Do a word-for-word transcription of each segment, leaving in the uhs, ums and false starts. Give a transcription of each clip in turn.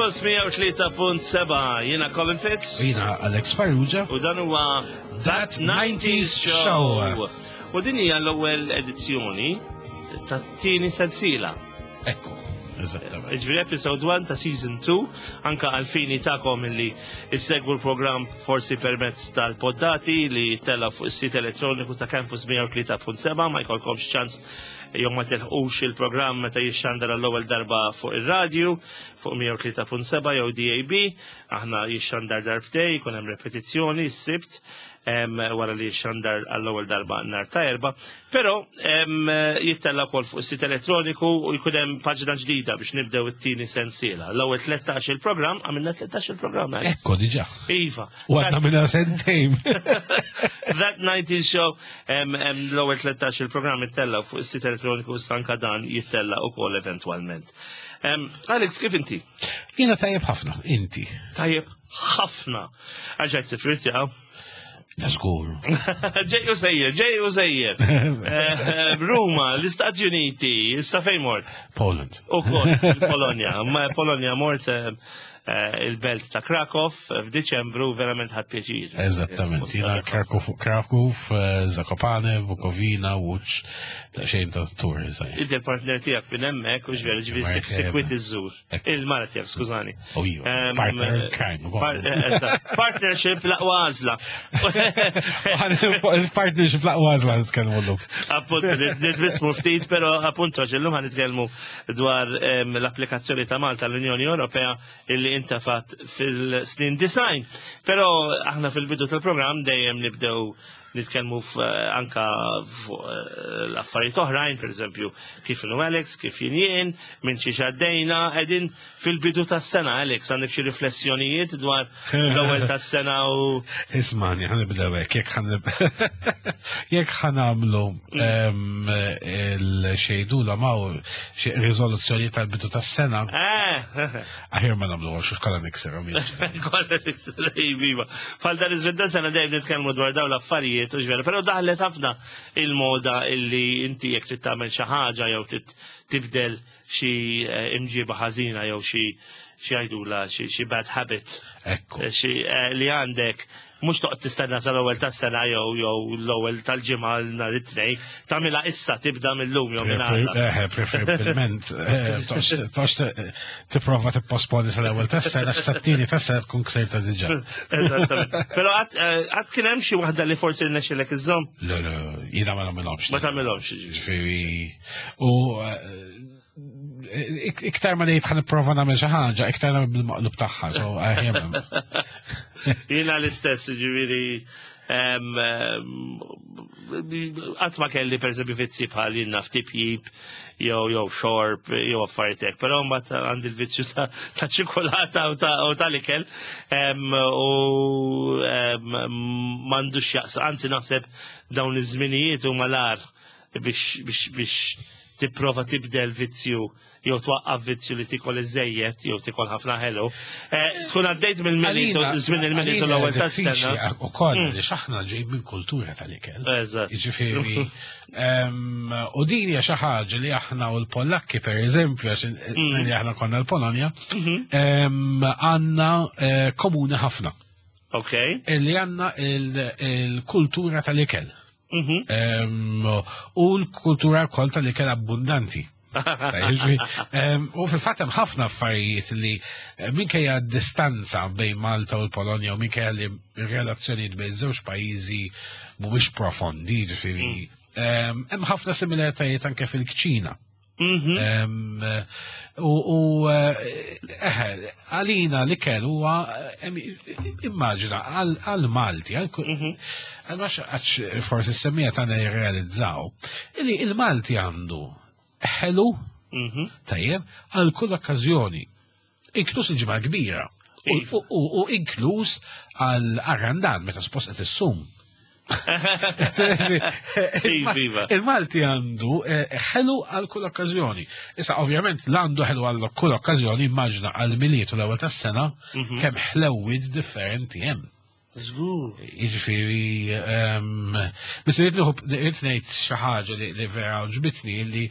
Campus mija u tlieta punt seba', jiena Colin Fitz. Jiena Alex Farrugia. U dan huwa That nineties Show. U din hija l-ewwel edizzjoni tat-tieni sensiela. Ekku, eżattament. Ġifieri episode one ta' season two, anka għal-fini tagħkom illi issegwu l-programm forsi permezz tal-poddati li tella fuq is-sit elettroniku ta' Campus mija u tlieta punt seba', ma jkollkomx ċans jew ma tilħqux il-programm meta jixxandar għall-ewwel darba fuq ir-radju fuq mija u tlieta punt seba' jew D A B, aħna jixxandar darbtejn, jkun hemm repetizzjoni s-Sibt em, wara li jixxandar għall-ewwel darba nhar ta' Erbgħa, però em, jittella wkoll fuq is-sit elettroniku u jkun hemm paġna ġdida biex nibdew it-tieni sensiela. L-ewwel tlettax il-programm, għamilna tlettax il-programm. Alex. Ekku, diġà. Iva. U għadna minna sentejn. That nineties Show, em, em, l-ewwel tlettax il-programm ittella fuq is-sit elettroniku, sanka dan jittella ukoll eventwalment. Em, Alex, kif inti? Jiena tajjeb ħafna, inti? Tajjeb ħafna. Għaġajt sifrit jaw. Ta' żgur. Ġej u sejjer, ġej u sejjer. Eh, Ruma, l-Istati Uniti, issa fejn mort? Poland. U kol, Polonja. Ma Polonja mort eh, eh, il-belt ta' Krakow f'Diċembru, verament ħadt pjaċir. Eżattament. Jiena Kraków, Kraków, eh, Zakopane, Bukowina, Łódź, ta' xejn ta' tour, eżaj. Inti l-partner tiegħek minn hemmhekk u ġveri ġifieri Marek, sikwit iżżur. Ekku. Il-mara tiegħek, skużani. U iva, Em, partner in crime. ukoll. Par- eh, eżatt. Partnership l-aqwa għażla. Il-partnership l-aqwa għażla nitkellmu llum. Appunt, nitbissmu ftit, pero appunt illum ħa nitkellmu dwar em, l-applikazzjoni ta' Malta l-Unjoni Ewropea illi intefat fil-snin disgħin. Pero aħna fil-bidu tal-programm dejjem nibdew nitkellmu f- anka fuq eh, l-affarijiet oħrajn, per eżempju, kif inhu Alex, kif jien jien, minn xi għaddejna, qegħdin fil-bidu tas-sena, Alex, għandek xi riflessjonijiet dwar l-ewwel tas-sena u Ismani, ħa nibdew hekk, jekk ħa nib- jekk ħa nagħmlu em, il-xejdu la maw xi riżoluzzjoni tal-bidu tas-sena, Eh, aħjar ma nagħmlu għax kollha niksirhom. Kolla iva. Bħal dan iż sena dejjem nitkellmu dwar dawn l-affarijiet u ġvera, però daħlet ħafna il-moda illi inti jekk trid tagħmel xi ħaġa jew trid tibdel xi eh, imġiba ħażina jew xi xi jgħidula xi xi bad habit Ekku. eh, xi eh, li għandek, mhux toqgħod tistenna sal-ewwel tas-sena jew jew l-ewwel tal-ġimgħa nhar it-Tnejn, tagħmilha issa, tibda mill-lum jew minn għada. Eh, preferibilment, eh, toqgħodx tipprova tipposponi sal-ewwel tas-sena, x'sat-tieni tas-sena tkun ksirta diġà. Eżattament. Però għad eh, għad kien hemm xi waħda li forsi rnexxilek iżżomm? Le, le, jiena ma nagħmilhomx. Ma tagħmilhomx. Ġifieri, u eh, ik- iktar ma ngħid ħa nipprova nagħmel xi ħaġa, iktar nagħmel bil-maqlub tagħha, so aħjar. Jiena l-istess, ġifieri, em, em, qatt ma kelli per eżempju vizzi bħal jiena ftipjib jew jew xorb jew affarijiet hekk, però mbagħad għandi l-vizzju ta' ta' ċikolata u ta' u tal-ikel em, u em, m'għandux jaqsa, anzi naħseb dawn iż-żminijiet huma l-agħar biex biex biex tipprova tibdel vizzju jew twaqqaf vizzju li tikol iżejjed jew tikol ħafna ħelu. Eh, Tkun għaddejt mill-Milied, żmien il-Milied u l-ewwel tas-sena. U koll, li aħna ġej minn kultura tal-ikel. Eżatt. Ġifieri, em, u din hija xi ħaġa li aħna u l-Pollakki, per eżempju, għax li aħna konna l-Polonja, em, għandna eh, komuni ħafna. Ok. Illi għandna il- il-kultura tal-ikel. Mhm. Em, U l-kultura wkoll tal-ikel abbundanti. Tajjeb, ġifieri, em, U fil-fatt hemm ħafna affarijiet li eh, minkejja distanza bejn Malta u l-Polonja u minkejja li r-relazzjonijiet bejn żewġ pajjiżi mhumiex profondi, ġifieri, em, hemm ħafna similaritajiet anke fil-kċina. Mhm. Em, U u, eh, eħe, għalina l-ikel huwa em, immaġina għal għal Malti, għal ku- Mhm. għal max għax forsi s-semmija tagħna jirrealizzaw, illi il-Malti għandu ħelu Mhm. tajjeb għal kull okkażjoni, inkluż il-Ġimgħa Kbira u- Iva. u u inkluż għal Randan meta suppost qed issum. Iva, iva. Il-Malti għandu eh, ħelu għal kull okkażjoni. Issa, ovvjament, l-għandu ħelu għal kull okkażjoni, immaġina għal Milied u l-ewwel tas-sena Mhm. kemm ħlewwiet differenti hemm. Żgur. Jiġifieri, ehm, biss irrid nieħu- irrid ngħid xi ħaġa li li vera għoġbitni li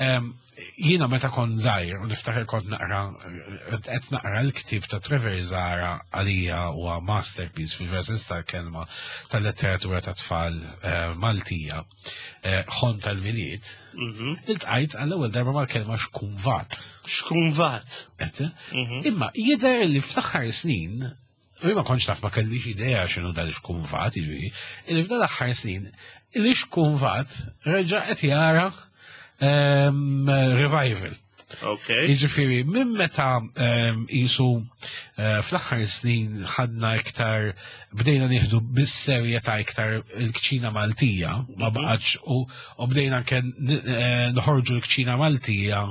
ehm, jiena meta kont żgħir u niftakar kont naqra qed naqra l-ktieb ta' Trevor Zahra, għalija huwa masterpiece fil-vera sens tal-kelma tal-letteratura ta' tfal eh, Maltija, eh, Ħolm tal-Milied, Mhm. iltqajt għall-ewwel darba mal-kelma xkunvat. Xkunvat. Qed? Mhm. Imma jidher li fl-aħħar snin, u ma kontx naf, ma kellix idea x'inhu dan ix-xkunvat, jiġifieri, li f'dan l-aħħar snin li xkunvat reġa' qed jara ehm, revival. Ok. Jiġifieri, minn meta ehm, jisu eh, fl-aħħar snin ħadna iktar, bdejna nieħdu bis-serjetà iktar il-kċina Maltija, ma Mhm. baqgħetx u u bdejna anke n- eh, noħorġu l-kċina Maltija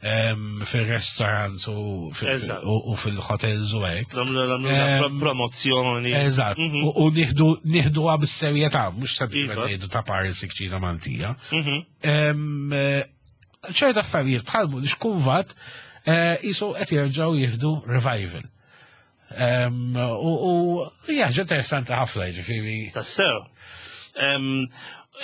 ehm, fil-restaurants u fil- Eżatt. u u fil-hotels u hekk. Nagħmlu nagħmlu Ehm, promozzjoni. Eżatt, Mhm. u u nieħdu nieħduha bis-serjetà, mhux sempliċement Iva. ngħidu ta' Paris kċina Maltija. Mhm. Em, eh, ċerta affarijiet bħal xkunvat jisu qed jerġgħu jieħdu revival. Em, U u hija ħaġa interessanti ħafna, jiġifieri. Tassew. Em,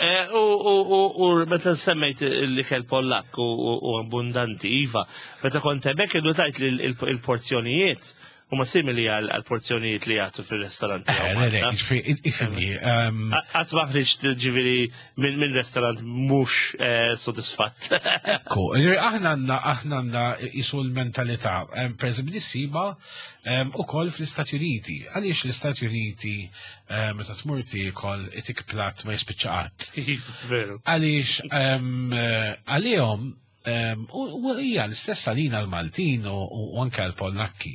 eh, U u- u- u meta semmejt l-ikel Pollak u u- u abbundanti, iva, meta kont hemmhekk innutajt li l- il-porzjonijiet huma simili għal għal porzjonijiet li jagħtu fil-ristoranti. Eh, le, le, jiġifieri, ifhimni. em, Qatt ma ħriġt ġifieri minn minn restorant mhux eh, sodisfatt. Ekku, jiġifieri aħna għandna aħna għandna jisu l-mentalità, em, per eżempju, nissiba ukoll fl-Istati Uniti. Għaliex l-Istati Uniti em, meta tmur tiekol itik platt ma jispiċċa qatt? Iva, veru. Għaliex em, eh, għalihom em, u u hija l-istess għalina l-Maltin u u anke l-Pollakki.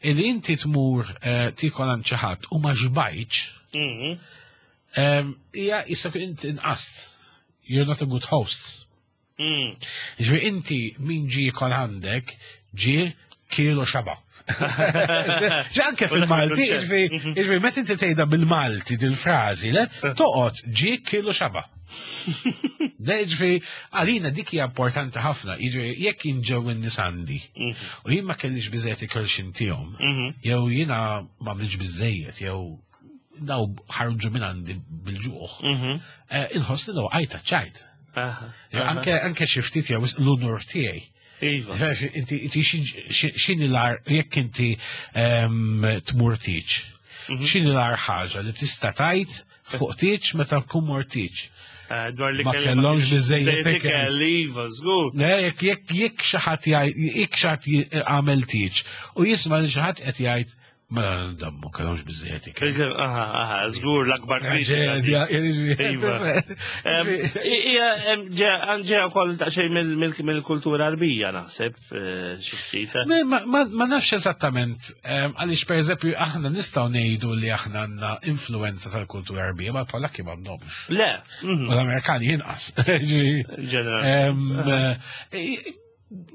Illi inti tmur eh, tiekol għand xi ħadd u ma xbajtx, Mhm. em, hija jisek inti inqast. You're not a good host. Mm. Ġifieri inti min ġie jiekol għandek ġie kiel u xaba'. Ġi anke fil-Malti, Il-kunċett. ġifieri, ġifieri, meta inti tgħidha bil-Malti dil-frażi, le, toqgħod ġie kiel u xaba'. Le, ġifieri, għalina dik hija importanti ħafna, ġifieri, jekk inġew in-nies għandi u jien ma kellix biżejjed ikel x'intihom, Mhm. jew jiena ma għamilx biżejjed, jew daw ħarġu minn għandi bil-ġuħ, Mhm. eh, inħoss li għajta ċajt. Aha. Jew Anke anke xi ftit jew l-unur tiegħi. Iva. Ġifieri, Inti inti xi- x'inhi l-agħar jekk inti ehm, tmur tieġ. X'inhi l-agħar ħaġa li tista' tgħid fuq tieġ meta tkun mort tieġ? Eh, Dwar li Ma kelli kellhomx kienx biżejjed ikel. ikel, iva, żgur. Le, jekk jekk jekk xi ħadd jgħid jekk xi ħadd għamel tieġ u jisma' li xi ħadd qed jgħid ma dammu kellhomx biżejjed ikel. Aha, aha, żgur l-akbar kritika. Traġedja, Iva. Em, Ija, em, ġeja ġeja wkoll daqsxejn mill- mill- mill-kultura Arbija naħseb, eh, xi ftit. Ma, ma, ma, ma nafx eżattament, em, għaliex per eżempju aħna nistgħu ngħidu li aħna għandna influenza tal-kultura Arbija, ma l-Pollakki ma għandhomx. Le, mhm, U l-Amerikani inqas. Ġifieri, ġeneralment. em, eh,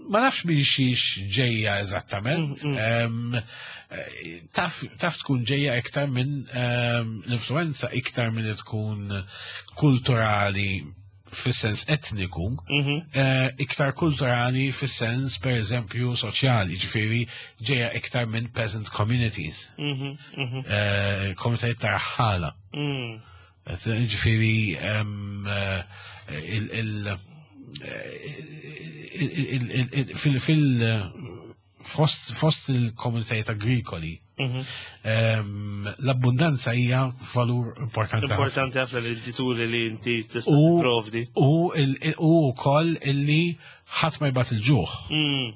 Ma nafx minn xiex ġejja eżattament. Mm, Em, eh, Taf taf tkun ġejja iktar minn em, l-influenza iktar minn li tkun kulturali fis-sens etniku, Mhm, eh, iktar kulturali fis-sens per eżempju soċjali, ġifieri ġejja iktar minn peasant communities, mhm, mhm, eh, komunitajiet ta' raħħala. mm. Ġifieri em, eh, il- il- il- il- il- il- fil fil fost fost il-komunitajiet agrikoli Mhm. em, l-abbundanza hija valur importanti ħafna. Importanti ħafna li inti turi li inti tista' U- tipprovdi. U il- u wkoll illi ħadd ma jbati l-ġuħ. Mm,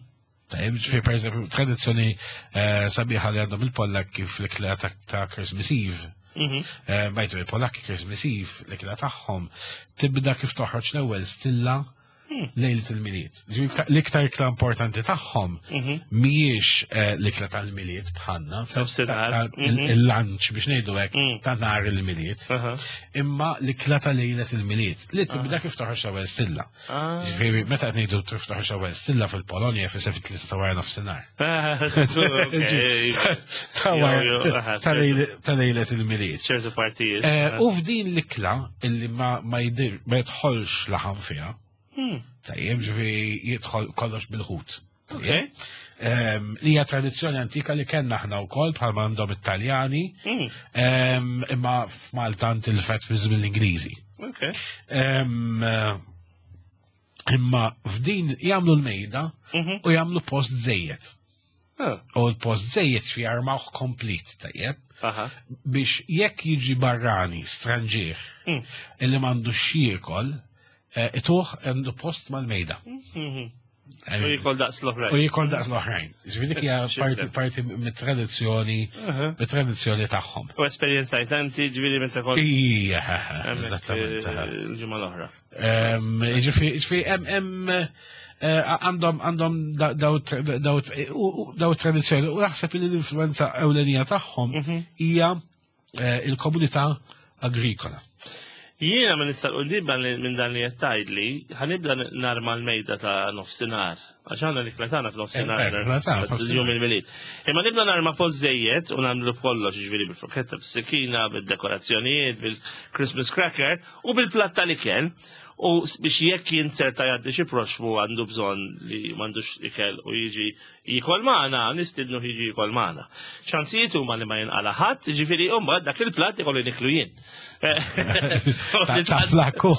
Tajjeb, ġifieri per eżempju, tradizzjoni eh, sabiħa li għandhom il-Pollakki fl-ikla ta' ta' Christmas Eve. mhm. Eh, Bajtu il-Polakki Christmas Eve, l-ikla tagħhom tibda kif toħroġ l-ewwel stilla lejlet il-Milied. Ġifieri l-iktar ikla importanti tagħhom Mhm. mhijiex eh, l-ikla tal-Milied bħalna, ta- Nofsinhar. ta- Mhm. il-lunch biex ngħidu hekk Mm. ta' nhar il-Milied, Aha. imma l-ikla ta' lejlet il-Milied li tibda kif toħroġ l-ewwel stilla. Ah. Ġifieri meta qed ngħidu kif toħroġ l-ewwel stilla fil-Polonja fisser fit-tlieta ta' wara nofsinhar. Ah, ok. Ta' wara- Jo, jo, aha, ta' lejle- ta' lejlet il-Milied. ċertu partijiet. Eh, U f'din l-ikla illi ma ma jidir ma jidħolx laħam fiha, Hmm. tajjeb, ġifieri jidħol kollox bil-ħut. Okay. Em, Li hija tradizzjoni antika li kellna aħna wkoll bħalma għandhom it-Taljani, Mm, em, imma f'Malta intilfet fi żmien l-Ingliżi. Okay. Em, eh, Imma f'din jagħmlu l-mejda Mhm. u jagħmlu post żejjed. Ah, U l-post żejjed fi armawh komplet tajjeb Aha. biex jekk jiġi barrani, stranġier, Mm. illi m'għandux x'jiekol, eh, ituh għandu post mal-mejda. Mhm. U jikol daqs U l-oħrajn. jikol daqs l-oħrajn. Ġifieri dik hija parti parti mit-tradizzjoni Aha. mit-tradizzjoni tagħhom. U esperjenzajt inti ġifieri meta kont Ija, hemmhekk, eżattament. eh, il-ġimgħa l-oħra. Em, Ġifieri, ġifieri, hemm hemm eh, għandhom għandhom da- daw daw u- u- daw tradizzjoni u naħseb li l-influenza ewlenija tagħhom Mhm. hija eh, il-komunità agrikola. Jiena minn issa l-qudiem minn dan li qed tgħidli, ħa nibda narma l-mejda ta' nofsinhar. Għax għandna l-ikla tagħna f'nofsinhar. Eh, l-ikla tagħna f'nofsinhar. Jum il-Milied. Imma nibda narma post żejjed u nagħmlu kollox, ġifieri bil-forketta, bis-sikina, bil-dekorazzjonijiet, bil-Christmas cracker u bil-platt tal-ikel. U s- biex jekk jinzerta jgħaddi xi proxmu għandu bżonn li m'għandux ikel u jiġi jikol magħna, nistidnu jiġi jikol magħna. Ċansijiet huma li ma jinqala ħadd, ġifieri mbagħad dak il-platt ikollu niklu jien. Ta' ta' flakku.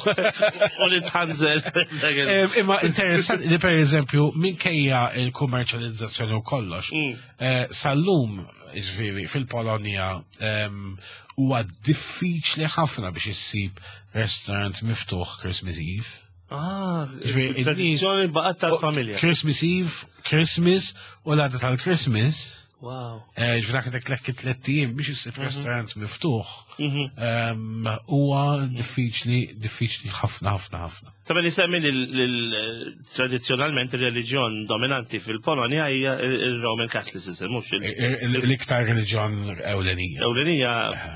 U nitħanżel. Em, Imma interessanti li per eżempju minkejja il-kummerċjalizzazzjoni u kollox, Mm. eh, sal-lum ġifieri fil-Polonja em, huwa diffiċli ħafna biex issib restaurant miftuħ Christmas Eve. Ah, Ġifieri, tradizzjoni baqgħet tal-familja. Christmas Eve, Christmas u l-għada tal-Christmas, Wow. eh, ġifieri dak dak tliet ijiem biex issib restaurant miftuħ Mhm. em, huwa diffiċli, diffiċli ħafna ħafna ħafna. Ta' li semmi li tradizjonalment il-reliġjon dominanti fil-Polonja hija il-Roman Catholicism, mhux il- Il- L-iktar reliġjon ewlenija. ewlenija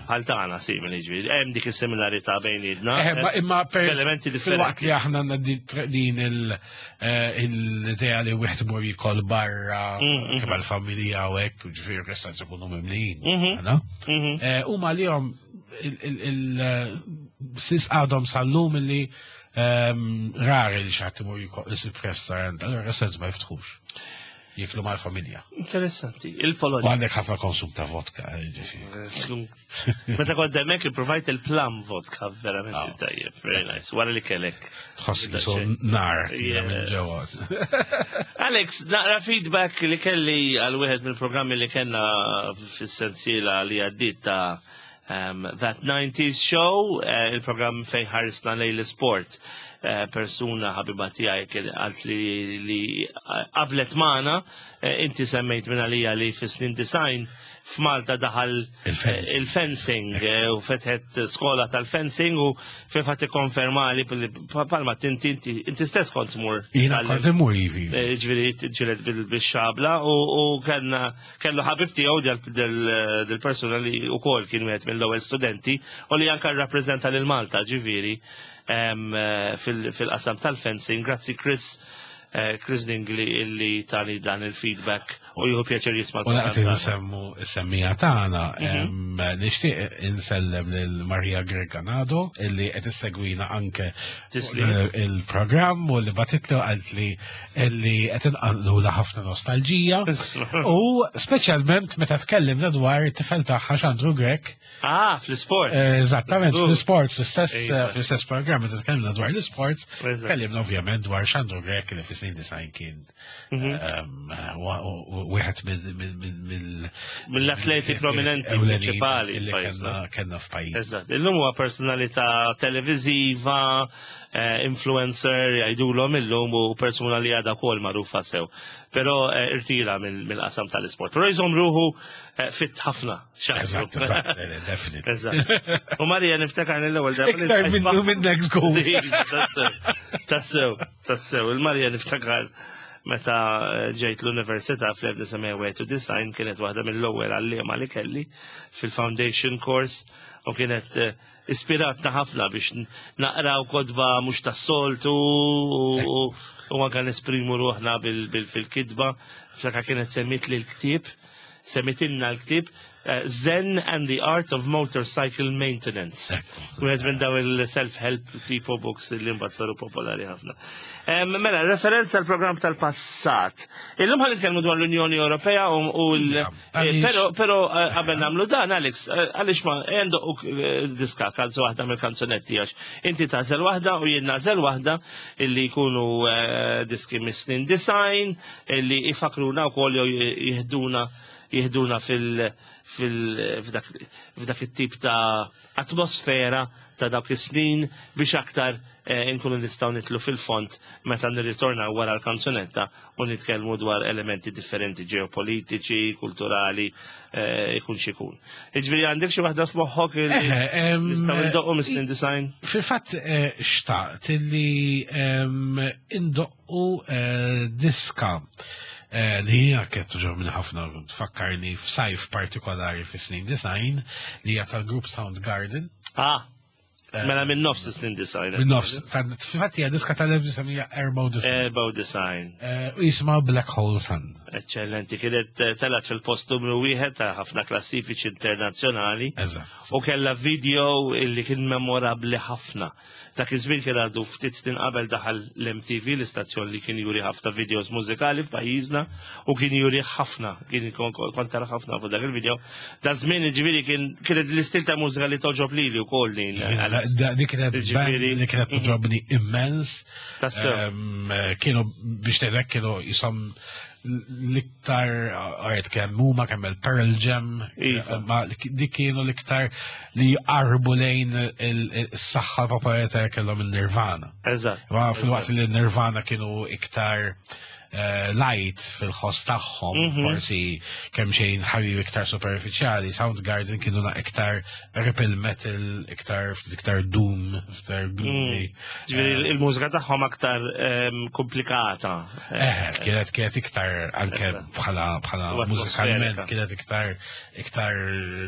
bħal tagħna simili ġifieri. Hemm dik is-similarità bejnietna. Eh, ma- Imma per elementi fil-waqt differenti. li aħna għandna di- din il- eh, l-idea li wieħed imur jikol barra, Mm, mhm. kemm għall-familja u hekk, u ġifieri restaurants ikunu mimlijin. Mhm. no? Mhm. Eh, Huma li jom il-sis għadhom sal-lum illi ehm, rari li xi ħadd imur jikol isib restaurant, allura restaurants ma jiftħux. Jiklu mal-familja. Interessanti. U Il-Polonja. għandek ħafna konsum ta' vodka, eh, ġifieri. Meta kont hemmhekk ipprovajt il-plum vodka verament Ah. tajjeb, very nice. Wara li kellek. Tħoss jisu nar tira minn Yes. ġewwa. Alex, naqra feedback li kelli għal wieħed mill-programmi li kellna fis-sensiela li għaddit ta' um, That nineties Show, eh, il-programm fejn ħarisna lejn l-sport. Eh, persuna ħabiba tiegħi kien qalt li li qablet magħna, eh, inti semmejt minn għalija li fis-snin disgħin f'Malta daħal eh, Il-fencing. il-fencing eh, u fetħet skola tal-fencing u fil-fatt ikkonfermali billi palma tinti inti inti stess kont tmur Jiena tal- kont immur ivi. Eh, ġifieri ġilet bil-xabla u u kellna kellu ħabib tiegħu del- del-persuna li wkoll kien wieħed mill-ewwel studenti u li anke rrappreżenta lil Malta ġifieri em, eh, fil- fil-qasam tal-fencing. Grazzi Chris eh, Chris Dingley illi tani dan il-feedback u jieħu pjaċir jisma' U laqt l-programm tagħna. insemmu is-semmija tagħna, em, nixtieq insellem lil Maria Greganado illi qed issegwina anke Tislim. il- il-programm u li batitlu qalt li illi qed inqallu ħafna nostalġija. Isma'. U speċjalment meta tkellimna dwar it-tifel tagħha Xandru Grek. Ah, fl-sport. Eh, Eżattament, Żgur. fl-sport, fl-istess Iva. fl-istess programm meta tkellimna dwar l-sports, Eżatt. tkellimna ovvjament dwar Xandru Grek li fis-snin disgħin kien Mhm. ehm, wa- u- wieħed minn minn- minn- mill- Mill-atleti prominenti ewlenin prinċipali illi f'pajjiżna. kellna kellna f'pajjiż. Eżatt. Illum huwa personalità televiżiva, eh, influencer, jgħidulhom illum u persuna li għadha wkoll magħrufa sew. Però eh, irtira mill- mill-qasam tal-isport. Però jżomm ruħu eh, fit ħafna. Xandru. Eżatt, eżatt, eh, definitely. Eżatt. U Marija niftakar l-ewwel darba li Iktar minn ltqajt minn next goal. Tassew, tassew, tassew. Il-Marija niftakar meta eh, ġejt l-università fl-elf disa' mija u design kienet waħda mill-ewwel għalliema li kelli fil-foundation course u kienet eh, ispiratna ħafna biex n- naqraw kotba mhux tas-soltu u- u u anke nesprimu ruħna bil- bil- fil-kitba. Ftakar kienet semmit li l-ktieb, semmitilna l-ktieb eh, Zen and the Art of Motorcycle Maintenance. Wieħed minn daw il-self-help tipo books li mbagħad saru popolari ħafna. Em, Mela, referenza għal programm tal-passat. Illum ħa nitkellmu dwar l-Unjoni Ewropea u u l- Ija, eh, għaliex- Pero, pero eh, qabel nagħmlu dan, Alex, eh, għaliex ma għandu diska kanzu waħda mill-kanzunetti għax inti tagħżel waħda u jien nagħżel waħda illi jkunu eh, diski mis-snin disgħin illi ifakruna wkoll jew jihduna jihduna fil fil f'dak f'dak it-tip ta' atmosfera ta' dawk is-snin biex aktar eh, inkunu nistgħu nidħlu fil-fond meta nirritornaw wara l-kanzunetta u nitkellmu dwar elementi differenti ġeopolitiċi, kulturali, eh, ikun xikun. Iġifieri għandek xi waħda f'moħħok li Eħe, em, nistgħu ndoqqu mis-snin disgħin? Fil-fatt eh, xtaqt illi em, indoqqu eh, diska eh, li hija kienet togħġobni ħafna, tfakkarni f'sajf partikolari fis-snin disgħin, li hija tal-grupp Soundgarden. Ah, mela minn nofs snin disgħin. Minn nofs, fil-fatt hija diska tal-elf disa' mija erbgħa u disgħin. Erba' u disgħin. Eh, U jisimha Black Hole Sun. Eccellenti, kienet eh, telat fil-post numru wieħed ta' ħafna klassifiċi internazzjonali. Eżatt. U kella video illi kien memorabli ħafna. Dak iż-żmien kien għadu ftit snin qabel daħal l-M T V, l-istazzjon li kien juri ħafna videos mużikali f'pajjiżna u kien juri ħafna, kien kon kont tara ħafna fuq dak il-video. Da żmien ġifieri kien kienet l-istil ta' mużika li toġob lili wkoll din. Da- Dik kienet band Ġifieri- li kienet toġobni immens. Tassew. Em, Kienu biex tgħidlek kienu jisom l-iktar għajt kemm huma kemm il-Pearl Jam, Iva. ma dik kienu l-iktar li jqarbu lejn il-saħħa popolarità kellhom il-Nirvana. Eżatt. Ma fil-waqt li Nirvana kienu iktar eh, light fil-ħoss tagħhom, Mhm. forsi kemm xejn ħabib iktar superficiali, Soundgarden kienu na iktar ripple metal, iktar iktar doom, iktar gloomy. Ġifieri il-mużika tagħhom aktar ehm, komplikata. Eh, kienet kienet iktar anke bħala bħala U mużikalment atmosferika. kienet iktar iktar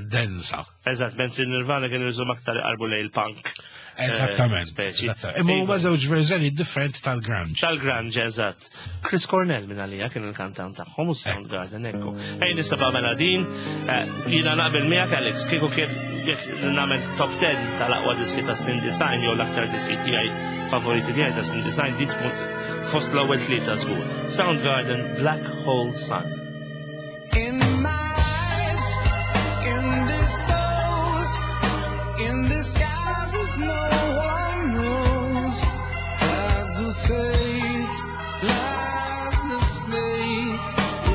densa. Eżatt, mentri Nirvana kienu jżum aktar iqarbu lejn il-punk. Eżattament. Speċi. Eżattament. Imma huma Iva. żewġ verżjoni differenti tal-grunge. Tal-grunge, eżatt. Chris Cornell minn għalija kien il-kantant tagħhom u Soundgarden, ekku. Ej, nisaba mela din, eh, jiena naqbel miegħek, Alex, kieku kien jekk nagħmel top ten tal-aqwa diski ta' snin disgħin jew l-aktar diski tiegħi favoriti tiegħi ta' snin disgħin, din tkun fost l-ewwel tlieta żgur. Soundgarden, Black Hole Sun. In my eyes, indisposed, in disguises no one knows. Hides the face, lies the snake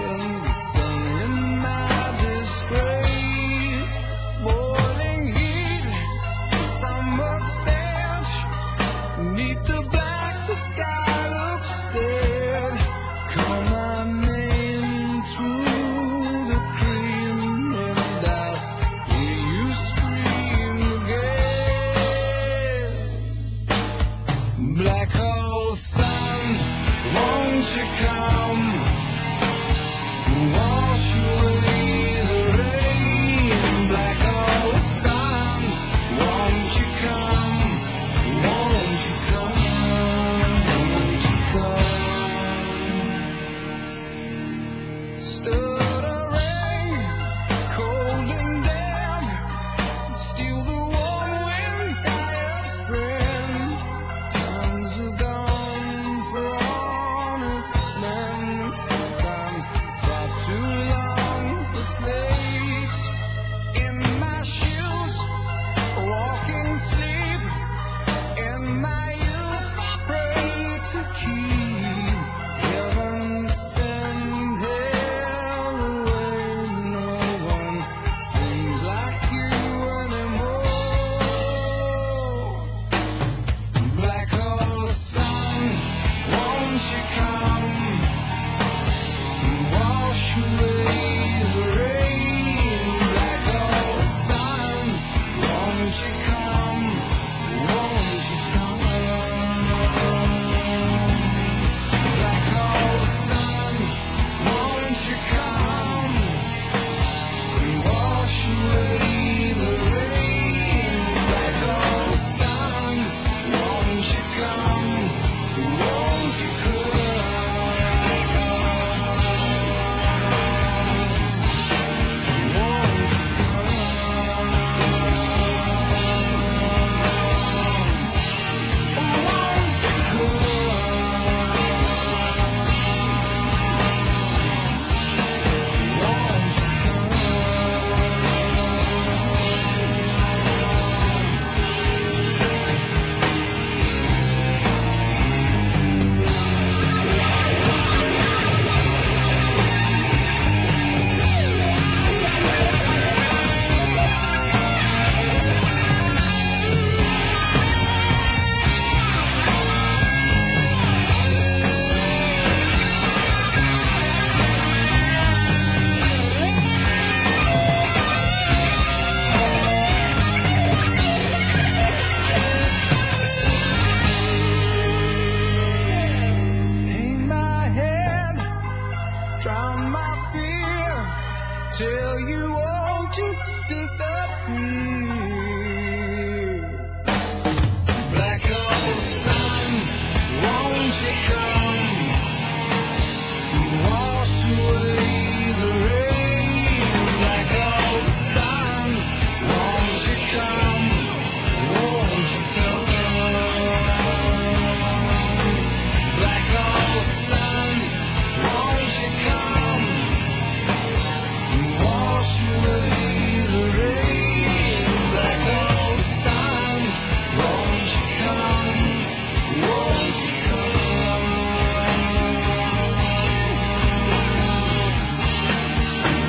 in the sun. In my disgrace, boiling heat, summer stench. Neath the black, the sky looks dead. Call my name through the cream, and I'll hear you scream again. Black hole sun, won't you come? Wash away the rain. Black hole sun, won't you come? Won't you come? Won't you come? Stuttering, cold and damp, steal the warm wind, tired friend. Times are gone for honest men. Won't you come? Black hole sun, won't you come? Wash away the rain. Black hole sun, won't you come? Won't you come?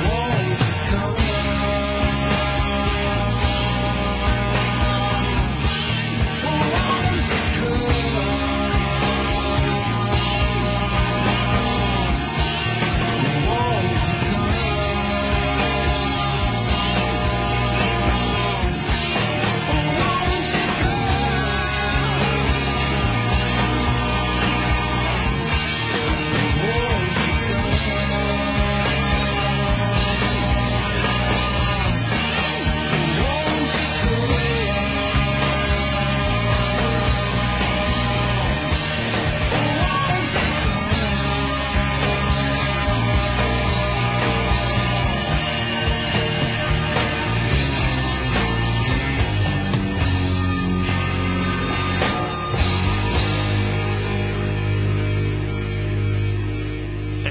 Won't you come? Won't you come? Won't you come? Won't you come? Won't you come? Won't you come? Won't you come?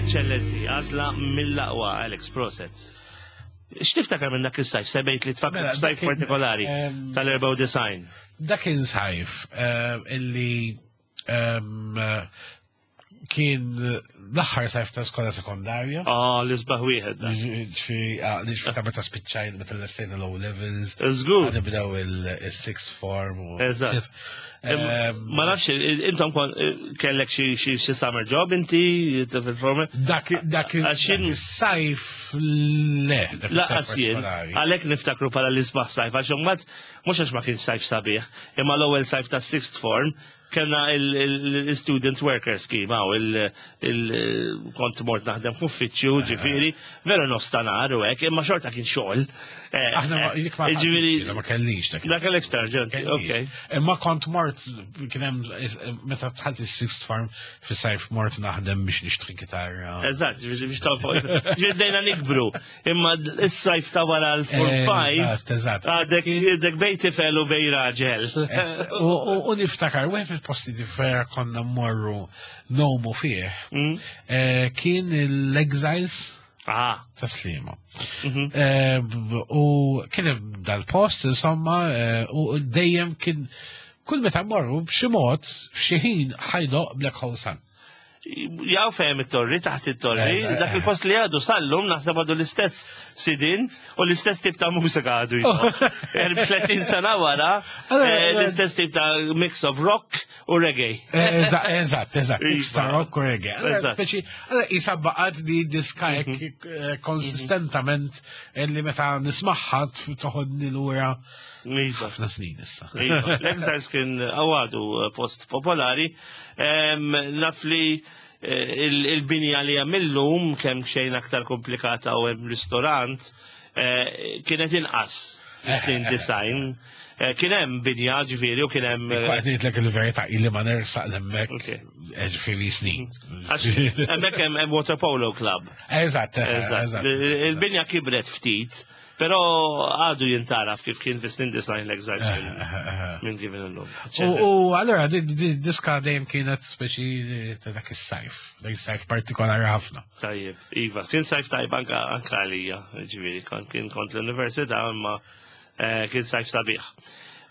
Eccellenti, għażla mill-aqwa Alex Proset. X'tiftakar minn dak is-sajf? Semmejt li tfakar Mela, f'sajf dak kien, partikolari ehm, tal-erba' design. Dak kien sajf eh, illi ehm, eh, kien l-aħħar sajf ta' skola sekondarja. Ah, l-isbaħ wieħed. dak. Ġifieri, ah, ġifieri ta' meta spiċċajt, meta l-estejna l-O levels. Żgur. Nibdew il-sixth form. u- Eżatt. Ehm, Ma nafx, intom kon kellek xi xi xi summer job inti fil-forma? Dak dak Għax jien- is-sajf le. dak is-sajf Laqas jien, partikolari. għalhekk niftakru bħala l-isbaħ sajf, għax imbagħad mhux għax ma kien sajf sabiħ, imma l-ewwel sajf ta' sixth form kellna il-student worker scheme, għaw il-kont mort naħdem f'uffiċċju, ġifieri, veru nofs ta' nhar u hekk, imma xorta kien xogħol. Eh, Aħna ma eh, dik ma ġifieri, ma kellix dak. dak l-extra ġent, ok. Imma kont mort kien hemm meta dħalt is-sixth form fis-sajf mort naħdem biex nixtri kitarra. Eżatt, biex biex tofu. Ġiddejna nikbru, imma is-sajf ta' wara l-form five, Eżatt, eżatt. għadek għadek bej tifel u bej raġel. U u- u niftakar, wieħed mill-posti li vera konna mmorru ngħumu fih, Mm. eh, kien l-Exiles Ah, ta' Sliema. mhm. Eh, b- U kien hemm dal-post, insomma, eh, u dejjem kien kull meta mmorru b'xi mod, f'xi ħin ħa jdoqq Black Hole Sun. Jaw fehem it-torri, taħt it-torri, Eżatt. dak il-post li għadu sallum naħseb għadu l-istess sidin u l-istess tip ta' mużika għadu jdoqq. tletin sena wara, Allora, eh, l-istess tip ta' mix of rock u reggae. Eh, Eżatt, eżatt, eżatt. Iva. Mix ta' rock u reggae. Allora, Eżatt. Speċi, allora, isa baqgħet di diska hekk eh, konsistentament eh, li meta nismagħha toħodni lura Iva. ħafna snin issa. Iva. L-Exiles kien għadu post popolari. Em, Naf li eh, il- il-binja li għamillum kemm xejn aktar komplikata u hemm ristorant eh, kienet inqas snin design. Eh, Kien hemm binja ġifieri u kien hemm eh, Qed ngħidlek il-verità illi ma nersaq l-hemmhekk Ok. ġifieri snin. Għax hemmhekk hemm hemm water polo club. Eżatt, eh, Eżatt. eżatt. Il-binja kibret ftit, però għadu jintaraf kif kien fis-snin design l-Exiles minn- minn kif illum. U u allora di di diska dejjem kienet speċi ta' dak is-sajf, dak is-sajf partikolari ħafna. Tajjeb, Iva, kien sajf tajb anka anka għalija, ġifieri, kon- kien kont l-università, imma eh, kien sajf sabiħ.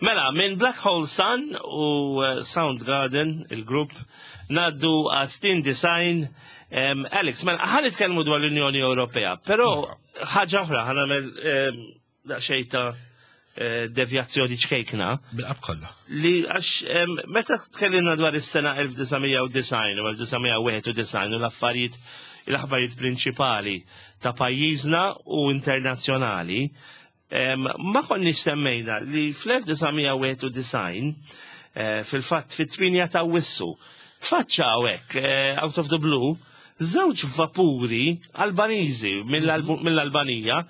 Mela, minn Black Hole Sun u eh, Soundgarden, il-grupp, ngħaddu għas-snin design. Em, Alex, mela, ħa nitkellmu dwar l-Unjoni Ewropea, però ħaġa oħra, ħa nagħmel em, daqsxejn ta' eh, devjazzjoni ċkejkna Bil-qab kollha. li għax em, meta tkellimna dwar is-sena elf disa' mija u disgħin u elf disa' mija u wieħed u disgħin u l-affarijiet l-aħbarijiet prinċipali ta' pajjiżna u internazzjonali, em, ma konniex semmejna li fl-elf disa' mija u wieħed u disgħin eh, fil-fatt fit-tmienja ta' Awwissu tfaċċaw hekk eh, out of the blue żewġ vapuri Albaniżi mill-Albu- mill-Albanija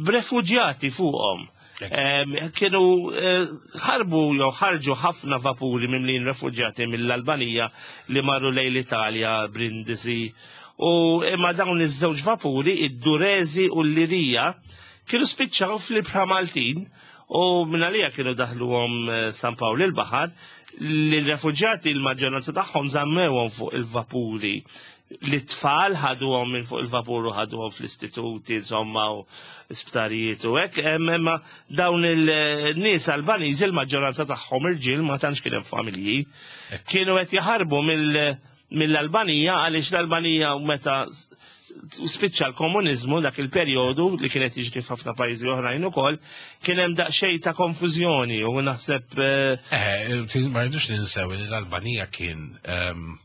b'refuġjati fuqhom. Em, Kienu eh, ħarbu jew ħarġu ħafna vapuri mimlin refuġjati mill-Albanija li marru lejn l-Italja, Brindisi. U imma dawn iż-żewġ vapuri, id-Durezi u l-Lirija, kienu spiċċaw fl-ibħra Maltin. U minn għalija kienu daħluhom eh, San Pawl il-Baħar, li l-refuġjati l-maġġoranza tagħhom żammewhom fuq il-vapuri. Li tfal ħaduhom minn fuq il-vapur u ħaduhom fl-istituti, insomma, u sptarijiet u hekk, em, imma dawn il-nies Albaniżi l-maġġoranza tagħhom irġiel, ma tantx kien hemm familji, kienu qed jaħarbu mill- mill-Albanija għaliex l-Albanija meta s- spiċċa l-komunizmu, dak il-perjodu li kienet jiġri f'ħafna pajjiżi oħrajn ukoll, kien hemm daqsxejn ta' konfużjoni u naħseb eh, Eh, ti- ma rridux ninsew li l-Albanija kien ehm,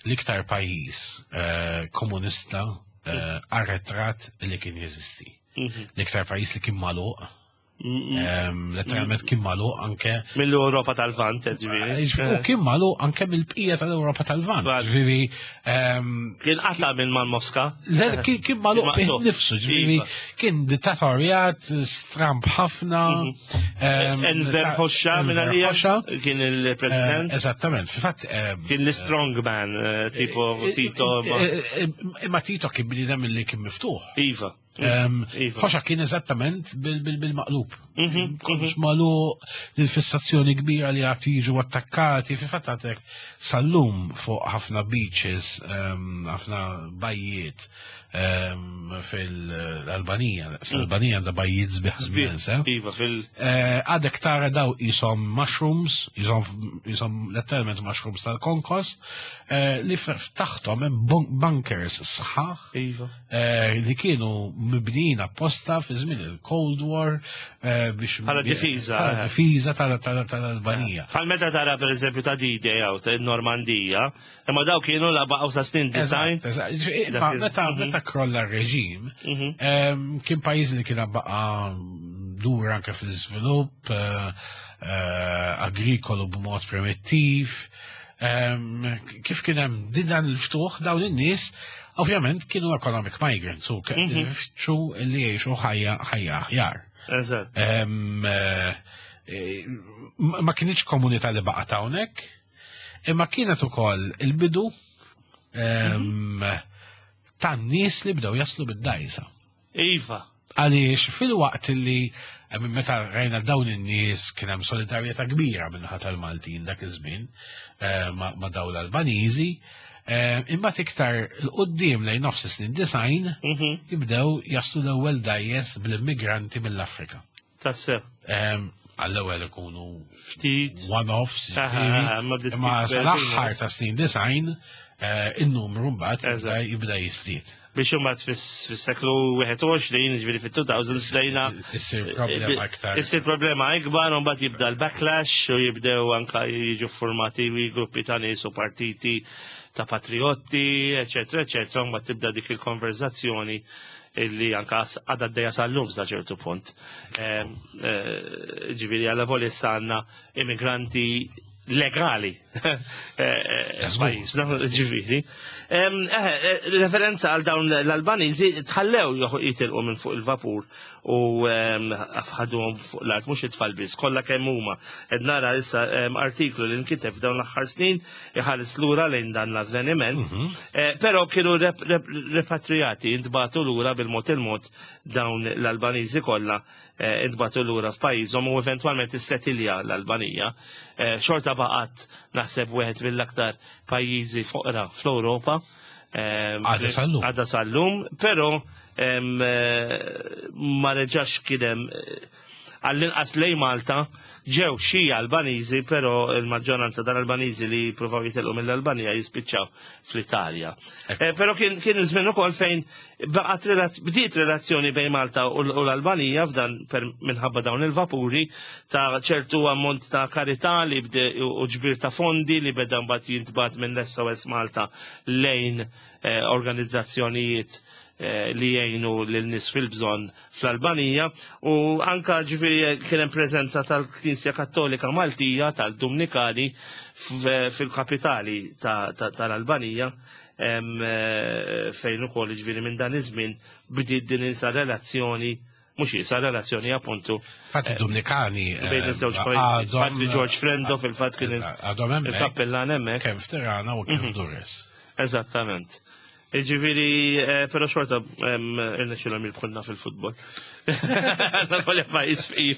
l-iktar pajjiż eh, komunista eh, arretrat li kien jeżisti. Mhm. L-iktar pajjiż li kien magħluq, ehm, letteralment kien magħluq anke mill-Ewropa tal-Lvant, ġifieri. U kien magħluq anke mill-bqija tal-Ewropa tal-Lvant. Vant. Ġifieri, ehm, Kien qata minn mal Moska. Le, kien kien magħluq fih Maqtugħ. nifsu, ġifieri Iva. kien dittatorjat stramb ħafna. ehm, Enver ta' Hoxha minn Enver għalija Hoxha. kien Eh, il-president. Eżattament, fil-fatt. ehm, Kien l-strong man, eh, tipo Tito. ma- eh, eh, Imma Tito kien bniedem li kien miftuħ. Iva. Ehm, Iva. Hoxha kien eżattament bil- bil- bil-maqlub. Mhm, Kollox magħluq, l-fissazzjoni kbira li għad jiġu attakkati, fi fatt għadek sal-lum fuq ħafna beaches, ehm, ħafna bajjiet ehm, fil-Albanija. L-Albanija għandha bajjiet sbieħ immens, eh? Iva, fil- Eh, Għadek tara daw jisom mushrooms, jisom, jisom letteralment mushrooms tal-konkos, eh, li f- taħtom hemm bun- bunkers sħaħ Iva. eh, li kienu mibnijin apposta fi żmien il-Cold War eh, biex Bħala difiża, bħala eh. difiża tal- tal- tal-Albanija. Bħal meta tara per eżempju ta' D-Day għaw ta' Normandija, imma daw kienu la baqgħu sa snin design. Eżatt, eżatt. Ġifieri, Dak ma il- Meta mhm. meta krolla r-reġim, Mhm. em, kien pajjiż li kien baqa dur anke fil-iżvilupp, eh, eh, agrikolu b'mod primittiv. Em, Kif kien hemm din dan il-ftuħ, dawn in-nies ovvjament kienu economic migrants u Mhm. kienu li jgħixu ħajja ħajja aħjar. Eżatt. Em, eh, eh, ma ma kienx komunità li baqgħet hawnhekk, imma kienet ukoll il-bidu em, tan-nies li bdew jaslu bid-dajsa. Iva. Għaliex fil-waqt li em, meta rajna dawn in-nies kien hemm solidarjetà kbira min-naħa tal-Maltin dak iż-żmien eh, ma ma dawn l-Albaniżi, eh, imbagħad iktar 'il quddiem lejn nofs is-snin disgħin Mhm. jibdew jaslu l-ewwel dajjes bl-immigranti mill-Afrika. Tassew. Em, Għall-ewwel ikunu Ftit. one-offs, Aha, ġifieri, ma bdiet imma tikber sal-aħħar din. ta' snin disgħin eh, in-numru mbagħad jibda- Eżatt. jibda jiżdied. Biex imbagħad fis-seklu wieħed u għoxrin, ġifieri fit-two thousands lejna Issir problema iktar. Issir problema ikbar, u mbagħad jibda l-backlash u jibdew anka jiġu formati gruppi ta' nies u partiti ta' patriotti, eċetera, eċetera, u mbagħad tibda dik il-konverzazzjoni illi anka għadha għaddejja sal-lum sa ċertu punt. Em, eh, Ġifieri għalla voli issa għandna immigranti legali eh, eh, Żgur. f'pajjiżna, ġifieri. Em, eh, eh, Referenza għal dawn l-Albaniżi tħallew joħ- jitilqu minn fuq il-vapur u em, ħaduhom fuq l-art, mhux it-tfal biss, kollha kemm huma. Qed nara issa em, artiklu li nkiteb f'dawn l-aħħar snin iħares lura lejn dan l-avveniment. Eh, Però kienu rep- rep- repatriati, intbagħtu lura bil-mod il-mod dawn l-Albaniżi kollha eh, intbagħtu lura f'pajjiżhom u eventwalment issetilja l-Albanija. Eh, Xorta baqgħet naħseb wieħed mill-aktar pajjiżi foqra fl-Ewropa. Em, Għadha sal-lum. Għadha sal-lum, però em, eh, ma reġax kien hemm eh, għall-inqas lej Malta ġew xi Albaniżi, però il-maġġoranza tal-Albaniżi li provaw jitilqu mill-Albanija jispiċċaw fl-Italja. Eh, però kien kien żmien ukoll fejn baqgħet relaz- bdiet relazzjoni bejn Malta u l- u l-Albanija f'dan per minħabba dawn il-vapuri ta' ċertu ammont ta' karità li bde u u ġbir ta' fondi li beda mbagħad jintbagħat minn l-S O S Malta lejn eh, organizzazzjonijiet eh, li jgħinu lil nies fil-bżonn fl-Albanija u anka ġifieri kien hemm preżenza tal-Knisja Kattolika Maltija tal-Dumnikani f- fil-kapitali ta- ta- tal-Albanija em, eh, fejn ukoll ġifieri minn dan iż-żmien bdiet din isa relazzjoni, mhux isa relazzjoni appuntu Fatti Dominikani bejn iż-żewġ pajjiżi. Patri George Frendo fil-fatt kien il- Għadhom hemmhekk il-kappellan hemmhekk. kemm f'Tirana u kemm f'Durres. Eżattament. Ġifieri, eh, pero xorta irnexxilhom jirbħulna fil-futbol. Nafolja pajjiż fqir.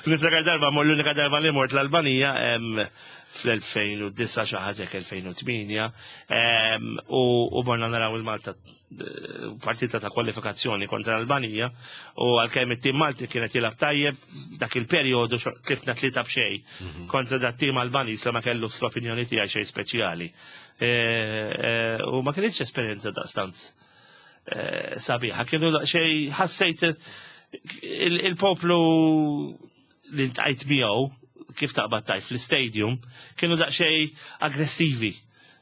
Niftakar darba, mor l-unika darba li mort l-Albanija fl-elfejn u disgħa, xi ħaġa elfejn u tmienja, u u morna naraw il-Malta eh, partita ta' kwalifikazzjoni kontra l-Albanija, u għalkemm it-tim Malti kienet jilgħab tajjeb dak il-perjodu, tlifna tlieta b'xejn kontra dat tim Albaniż li ma kellu, fl-opinjoni tiegħi, xejn speċjali. Eh, eh, U ma kienx esperjenza daqstant eh, sabiħa, kienu xej ħassejt il- il-poplu li ltqajt miegħu, kif taqbad tajt fl-stadium, kienu daqsxejn aggressivi,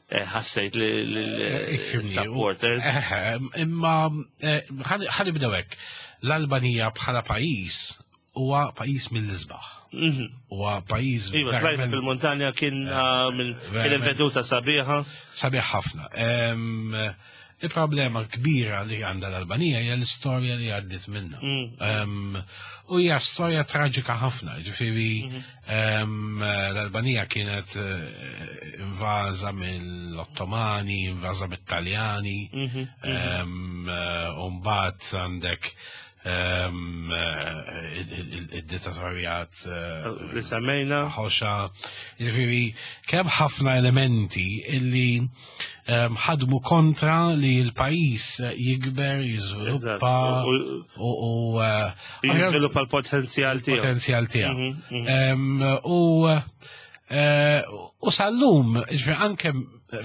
eh, ħassejt li Ifhimni, supporters. Eh, Imma eh, ħa nibdew hekk. L-Albanija bħala pajjiż huwa pajjiż mill-isbaħ. Mhm. Huwa pajjiż Iva, tlajna verament fil-montanja, kien ah, minn kien verament. veduta sabiħa. Sabiħ ħafna. Em, Il-problema kbira li għandha l-Albanija hija l-istorja li għaddit minna. Mm. Em, U hija storja traġika ħafna, ġifieri em, l-Albanija kienet eh, invaża mill-Ottomani, invaża mit-Taljani, Mhm. em, eh, u mbagħad għandek em, eh, il- il- il-dittatorjat eh, Li semmejna. Hoxha, ġifieri, kemm ħafna elementi illi em, ħadmu kontra li l-pajjiż jikber, jiżviluppa Eżatt. U- u u, eh, Jiżviluppa l-potenzjal tiegħu. Potenzjal tiegħu. Mhm, mhm. Em, U eh, u sal-lum, ġifieri, anke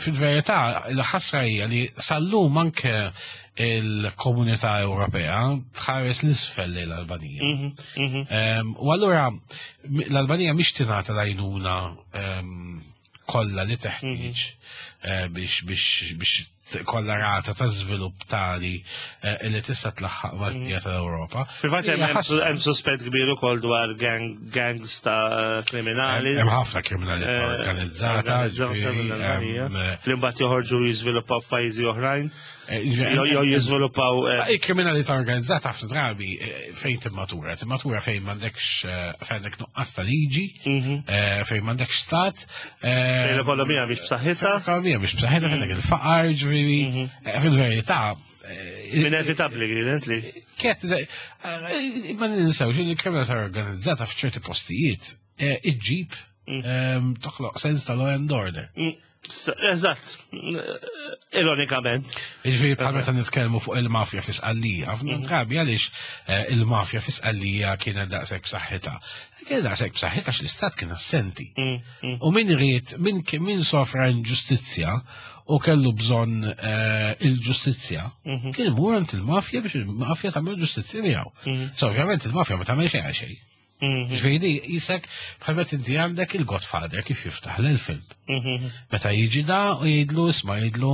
fil-verità, il-ħasra hija li sal-lum anke il-Komunità Ewropea tħares l-isfel lejn l-Albanija. Mhm, mhm. Em, U allura m- l-Albanija mhix tingħata l-għajnuna em, kollha li teħtieġ eh, biex biex biex kollha rata ta' żvilupp tali eh, li tista' tlaħħaq mal-bqija tal-Ewropa. Fil-fatt hemm Hija ħasra. Hemm suspett kbir ukoll dwar gang, gangs ta' kriminali. Hemm ħafna kriminalità Eh, organizzata, organizzata ġifieri, mill-Albanija. hemm, eh, Li mbagħad joħorġu jiżviluppaw f'pajjiżi oħrajn. eh, Jew jew jiżviluppaw eh, Il-kriminalità organizzata ħafna drabi eh, fejn timmatura? Timmatura fejn m'għandekx eh, fejn għandek nuqqas ta' liġi, mhm. eh, fejn m'għandekx stat. eh, Fejn l-ekonomija mhix b'saħħitha. L-ekonomija mhix b'saħħitha, fejn għandek il-faqar, ġifieri, eh, fil-verità. eh, Inevitabbli kienet li. Kiet, eh, ma ninsewx li l-kriminalità organizzata f'ċerti postijiet eh, iġġib ehm, toħloq sens ta' law and order. Mm, s- Eżatt. Ironikament. Ġifieri bħal meta nitkellmu fuq il-mafja fi Sqallija, ħafna drabi għaliex eh, il-mafja fi Sqallija kienet daqshekk b'saħħitha? Kienet daqshekk b'saħħitha għax l-istat kien assenti. Mm, mm. U min ried, min, min sofra inġustizzja u kellu bżonn eh, il-ġustizzja, Mhm. kien imur għand il-mafja biex il-mafja tagħmel ġustizzja miegħu. Mhm. So, ovvjament il-mafja ma tagħmel xejn għal xejn. Mhm. Ġifieri jisek bħal meta inti għandek il-Godfather kif jiftaħ l-film. Mhm. Meta jiġi da u jgħidlu, isma', jgħidlu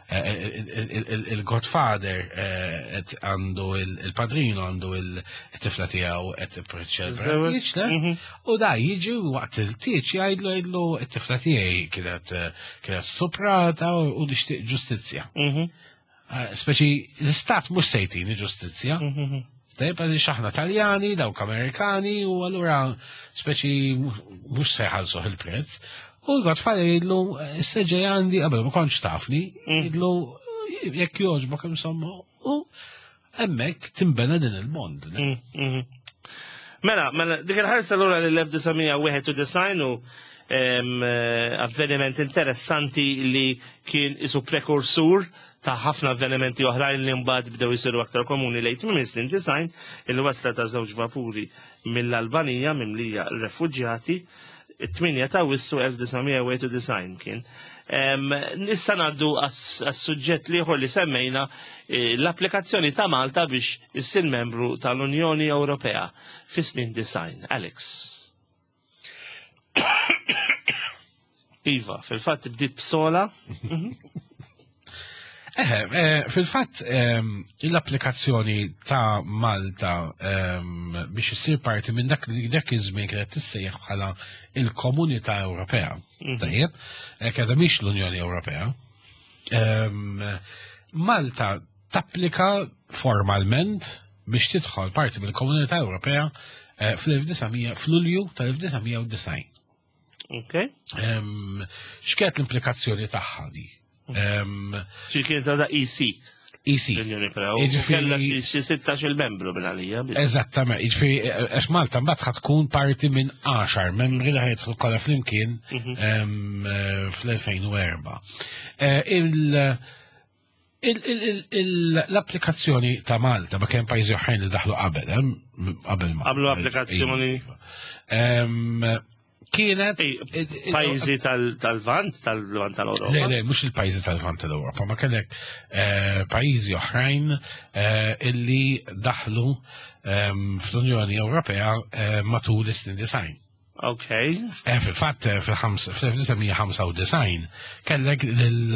eh, il- il- il- il-Godfather eh, qed għandu il- il-padrino għandu il-tifla tiegħu qed tippreċelebra tieġ, le? Mhm. U da jiġi u waqt il-tieġ jgħidlu jgħidlu it-tifla tiegħi kienet eh, kienet stuprata u u nixtieq ġustizzja. Mhm. Eh, Speċi l-istat mhux se jtini ġustizzja. Mhm. Tajb, għaliex aħna Taljani, dawk Amerikani, u allura speċi mhux se jħallsuh il-prezz. U l-Godfather jgħidlu, issa ġej għandi, qabel ma kontx tafni, jgħidlu, jekk jogħġbok, insomma, u hemmhekk timbena din il-bond. Mm, mhm. Mela, mela, dik il-ħarsa l-ura l-elf disa' mija wieħed u disgħin u em, eh, avveniment interessanti li kien isu prekursur ta' ħafna avvenimenti oħrajn li mbagħad bdew isiru aktar komuni lejn tmiem is-snin disgħin, il-wasla ta' żewġ vapuri mill-Albanija mimlija refuġjati, it-tmienja ta' Awwissu elf disa' mija wieħed u disgħin kien. Em, Issa ngħaddu għas-suġġett l-ieħor li semmejna, eh, l-applikazzjoni ta' Malta biex issir membru tal-Unjoni Ewropea fis-snin disgħin. Alex. Iva, fil-fatt bdiet b'sola. Eh, eh, fil-fatt ehm, l-applikazzjoni ta' Malta ehm, biex issir parti minn dak dak iż-żmien kienet tissejjaħ bħala il-Komunità Ewropea. Tajjeb, eh, kienet mhix l-Unjoni Ewropea. Ehm, Malta tapplika formalment biex tidħol parti mill-Komunità Ewropea eh, fl-elf disa' mija fl-Lulju tal-elf disa' mija u disgħin. Ok. Ehm, X'kienet l-implikazzjoni tagħha di? Em, Xi kienet għadha E C. E C. L-Unjoni Ewropea. U Jiġifieri- kellha xi xi sittax-il membru minn għalija. Eżattament, jiġifieri għax Malta mbagħad ħa tkun parti minn għaxar membri li ħa jidħlu kollha flimkien em, eh, fl-elfejn u erbgħa. Eh, il- il- il- il- L-applikazzjoni ta' Malta, ma kien pajjiżi oħrajn li daħlu qabel, em, qabel ma. Għamlu applikazzjoni. Em, Kienet Ej, pajjiżi tal- tal-Lvant, tal-Lvant tal-Ewropa. Le, le, mhux il-pajjiżi tal-Lvant tal-Ewropa, ma kellek eh, pajjiżi oħrajn eh, illi daħlu ehm, fl-Unjoni Ewropea eh, matul is-snin disgħin. Ok. Eh, Fil-fatt, eh, fil-elf disa' mija ħamsa u disgħin kellek il-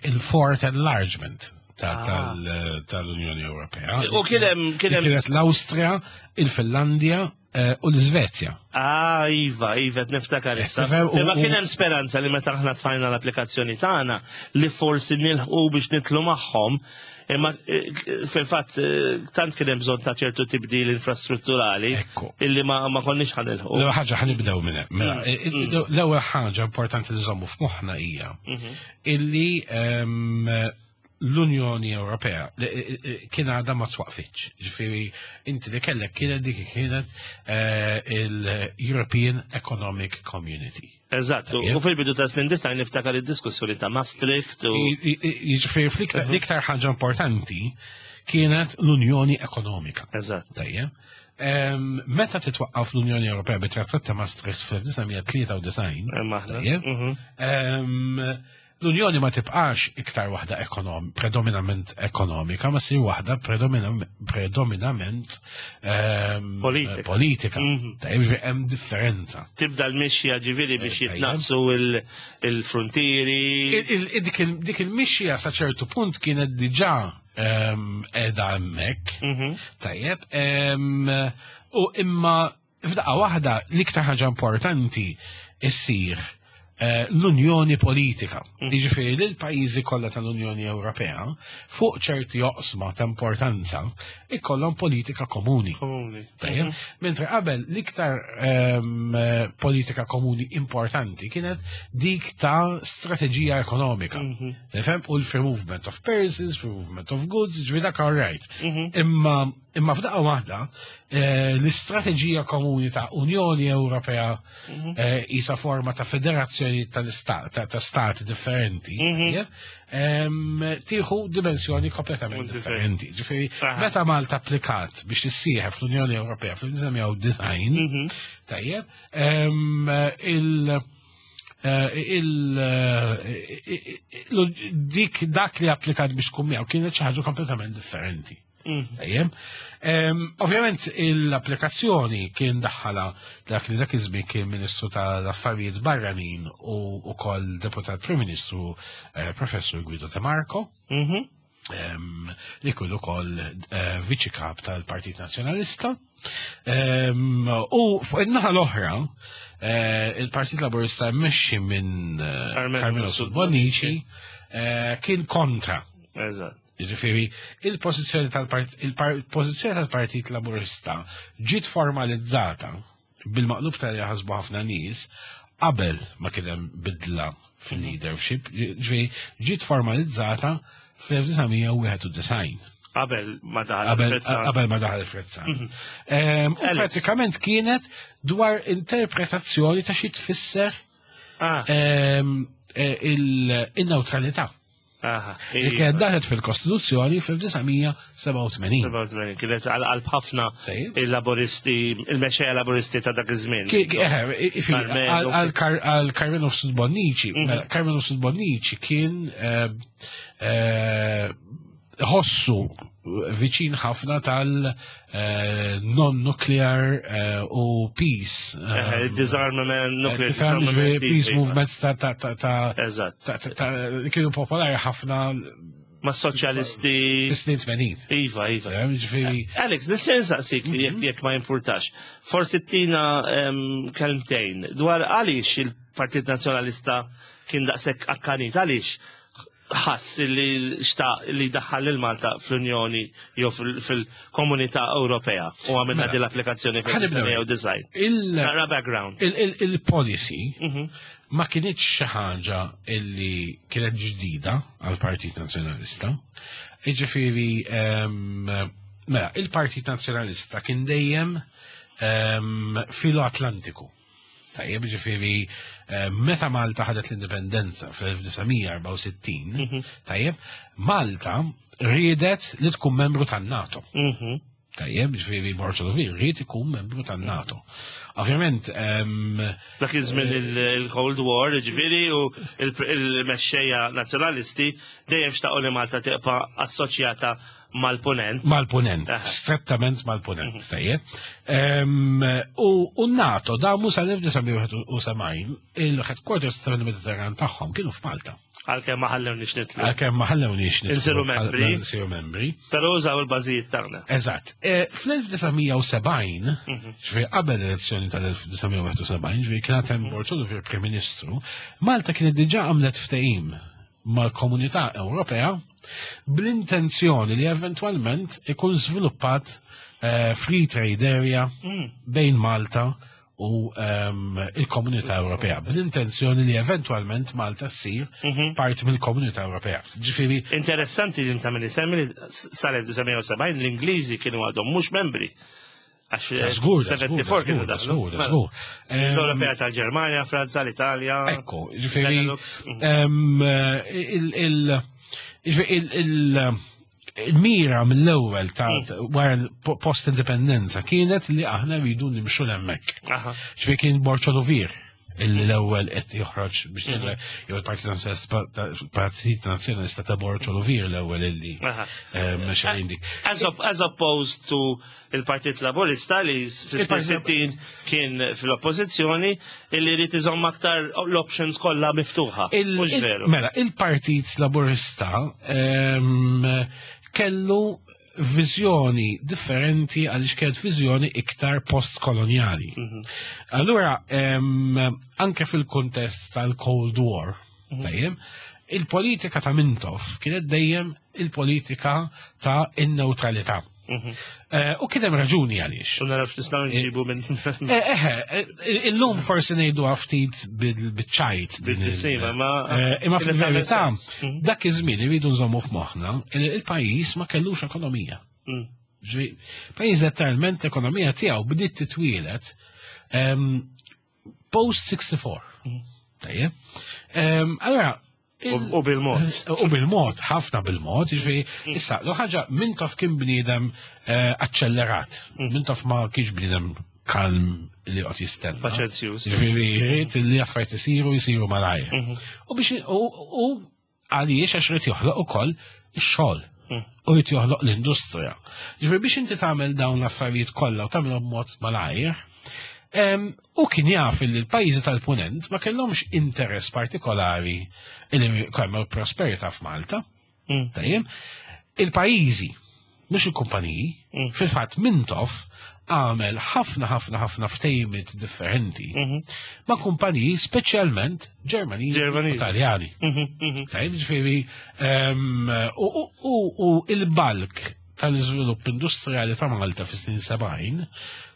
il-fourth enlargement ta- Ah. tal- tal-Unjoni Ewropea. U kien hemm kien hemm Kienet l-Awstrija, il-Finlandja eh, u l-Svezja. Ah, iva, iva, qed niftakar issa. Tifhem, u- Imma u- kien hemm speranza li meta aħna tfajna l-applikazzjoni tagħna li forsi nilħqu biex nidħlu magħhom, imma eh, fil-fatt eh, tant kien hemm bżonn ta' ċertu tibdil infrastrutturali Ekku. illi ma ma konniex ħa nilħqu. L-ewwel ħaġa ħa nibdew minn hemm. Mela, Mm, il- il- l-ewwel ħaġa importanti li nżommu f'moħħna hija Mhm. illi ehm, l-Unjoni Ewropea li- i- i- kien għadha ma twaqfitx. Ġifieri inti li kellek kienet dik kienet eh, il-European Economic Community. Eżatt, Tajjeb. u fil-bidu ta' snin disgħin niftakar id-diskussjoni ta' Maastricht u I- i- i- Jiġifieri fl-iktar l-iktar ħaġa importanti kienet l-Unjoni Ekonomika. Eżatt. Tajjeb. Em, Meta titwaqqaf l-Unjoni Ewropea bit-Trattat ta' Maastricht fl-elf disa' mija tlieta u disgħin, Imma aħna. Tajjeb. Mhm. Em, L-Unjoni ma tibqax iktar waħda ekonom, predominament ekonomika, ma ssir waħda predominam- predominament em, Politika. politika. Mhm. Tajjeb, ġifieri hemm differenza. Tibda l-mixja ġifieri biex Tajjeb. jitnaqsu il- il-frontieri. Il- il- Dik il- dik il-mixja sa ċertu punt kienet diġà em, qiegħda hemmhekk. Mhm. Tajjeb, em, u imma f'daqqa waħda l-iktar ħaġa importanti issir eh, l-Unjoni Politika. Jiġifieri li l-pajjiżi kollha tal-Unjoni Ewropea fuq ċerti oqsma ta' importanza ikollhom politika komuni. Komuni. Tajjeb, mentre qabel l-iktar em, eh, politika komuni importanti kienet dik ta' strateġija ekonomika. Mhm. Tifhem? U l-free movement of persons, free movement of goods, ġifieri dak all right. Mhm. Imma imma f'daqqa waħda eh, l-istrateġija komuni ta' Unjoni Ewropea eh, isa forma ta' federazzjoni tal-istat ta' ta' stati differenti, Mhm. tajjeb, em, tieħu dimensjoni kompletament differenti. Ġifieri, Aha. meta Malta applikat biex tissieħeb fl-Unjoni Ewropea fl-elf disa' mija u disgħin, Mhm. tajjeb, em, il- eh, il eh, il- dik dak li applikat biex tkun miegħu kienet xi ħaġa kompletament differenti. Mhm. Tajjeb. Em, Ovvjament l-applikazzjoni kien daħħala dak li dak iż-żmien kien Ministru tal-Affarijiet Barranin u ukoll Deputat Prim Ministru eh, Professur Guido De Marco Mhm. em, li kien ukoll eh, viċi kap tal-Partit Nazzjonalista. Em, U fuq in-naħa l-oħra, eh, il-Partit Laburista mmexxi minn eh, Carmelo Carmelo Mifsud Bonnici eh, kien kontra. Eżatt. Jiġifieri, il-pożizzjoni tal-Part- il-pożizzjoni tal-Partit Laburista ġiet formalizzata bil-maqlub tal jaħsbu ħafna nies qabel ma kien hemm bidla fil-leadership, ġifieri ġiet formalizzata fl-elf disa' mija wieħed u disgħin. Qabel ma daħal Qabel Alfred qabel ma daħal Alfred Sant. Em, U Alex. pratikament kienet dwar interpretazzjoni ta' xi tfisser Ah, em, eh, il- il-neutralità. aha. Li kienet daħlet fil-Kostituzzjoni fil-elf disa' mija sebgħa u tmenin. sebgħa u tmenin, kienet għal qalb ħafna Tajjeb. il-laboristi, il-mexxejja laboristi ta' dak iż-żmien. Ki- ki- eh, i- fi- Carmelo. Għal Kar- għal Carmelo Mifsud Bonnici, Mhm. mela, Carmelo Mifsud Bonnici kien eh, eh, ħossu viċin ħafna tal-non-nuclear u peace. Eh, disarmament, nuclear Tifhem, disarmament. ġifieri peace iva. movements ta' ta' ta' ta' Eżatt. ta' ta' ta' li kienu popolari ħafna Ma' soċjalisti. fis-snin tmenin. Iva, iva. Ġifieri, Alex, nista' nsaqsik jekk jekk ma jimpurtax. Forsi tina em, kelmtejn dwar għaliex il-Partit Nazzjonalista kien daqshekk akkanit, għaliex Ħass li xtaq li daħħal lil Malta fl-Unjoni jew fil-Komunità Ewropea u għamilna Mela, din l-applikazzjoni fil-design. Nara background. Il-policy Mhm. ma kinitx xi ħaġa illi kienet ġdida għal-Partit Nazzjonalista. Jiġifieri, mela, il-Partit Nazzjonalista kien dejjem filo-Atlantiku. Tajjeb, ġifieri, meta Malta ħadet l-indipendenza fl-elf disa' mija erbgħa u sittin, Mhm. tajjeb, Malta riedet li tkun membru tan-NATO. Mhm. Tajjeb, ġifieri Borg Olivier ried ikun membru tan-NATO. Ovvjament, em, Dak iż-żmien il-Cold War, ġifieri, u il-mexxejja nazzjonalisti dejjem xtaqu li Malta tibqa' assoċjata mal-punent. Mal-punent, Aha. strettament mal-punent, tajjeb. Em, U u NATO damu sal-elf disa' mija wieħed u sebgħin il-headquarters tal-Mediterran tagħhom kienu f'Malta. Għalkemm ma ħallewniex nidħlu. Għalkemm ma ħallewniex nidħlu. Insiru membri. Insiru membri. Però użaw il-bażijiet tagħna. Eżatt. E, Fl-elf disa' mija u sebgħin, Mhm. ġifieri qabel l-elezzjoni tal-elf disa' mija wieħed u sebgħin, ġifieri kien hemm Borg Olivier Prim Ministru, Malta kienet diġà għamlet ftehim mal-Komunità Ewropea bl-intenzjoni li eventwalment ikun żviluppat eh, free trade area Mm. bejn Malta u ehm, il-Komunità Ewropea, bl-intenzjoni li eventwalment Malta ssir Mhm. parti mill-Komunità Ewropea. Ġifieri, Interessanti li inta minn semmi li sal-elf disa' mija u sebgħin l-Ingliżi kienu għadhom mhux membri. Għax Da żgur, da żgur, sebgħa u sebgħin kienu da daħlu. żgur, da Mela, żgur. Ehm, L-Ewropea tal-Ġermanja, Franza, l-Italja. Ekku, ġifieri, Benelux. Mhm. em, il- il- ġifieri, il- il- il-mira mill-ewwel ta' wara l-post-indipendenza kienet li aħna rridu nimxu l-hemmhekk. Aha. Ġifieri kien Borg Olivier l-ewwel qed joħroġ biex ngħidu, jew il-Partit Nazzjonalista Partit Nazzjonalista ta' Borg Olivier l-ewwel illi Aha. mexxa dik. As, op as opposed to il-Partit Laburista li Il-Partit fis-sittin kien fil-oppożizzjoni illi jrid iżomm aktar l-options kollha miftuħa. Il- Mhux il- veru. Mela, il-Partit Laburista em, kellu viżjoni differenti għaliex kienet viżjoni iktar postkoloniali. Mhm. Allura, em, anke fil-kontest tal-Cold War, Mhm. tajjeb, il-politika ta' Mintoff kienet dejjem il-politika ta' in-neutralità. Mhm. Eh, U kien hemm raġuni għaliex. U naraw x'nistgħu nġibu minn Eh, eh, eh, illum forsi ngħidu ftit bil-ċajt. din il- Bil-sima, ma- Eh, Imma kienet fil-verità, tagħmel sens. Mhm. dak iż-żmien iridu nżommu f'moħħna il il-pajjiż ma kellux ekonomija. Mm. Ġifieri, pajjiż letteralment l-ekonomija tiegħu bdiet titwielet em, post sixty-four. Tajjeb. Em, Allora, il- U u bil-mod. U bil-mod, ħafna bil-mod, ġifieri, issa, l ħaġa Mintoff kien bniedem eh, accellerat. Mintoff ma kienx bniedem kalm li qed jistenna. Paċenzjuż. Ġifieri, jrid li affarijiet isiru, jisiru malajr. U biex, u u għaliex, għax irid joħloq ukoll ix-xogħol. U jrid joħloq l-industrija. Ġifieri biex inti tagħmel dawn l-affarijiet kollha u tagħmelhom b'mod malajr, Em, u kien jaf li l-pajjiżi tal-punent ma kellhomx interess partikolari li kellhom prosperità f'Malta. Mm. Tajjeb, il-pajjiżi, mhux il-kumpaniji, Mm. fil-fatt Mintoff għamel ħafna ħafna ħafna ftejmiet differenti Mhm. ma' kumpaniji, speċjalment Ġermaniżi u Ġermaniżi. Taljani. Mhm, mhm. Tajjeb, ġifieri, em, u, u, u, u il-bulk tal-iżvilupp industrijali ta' Malta fis-snin sebgħin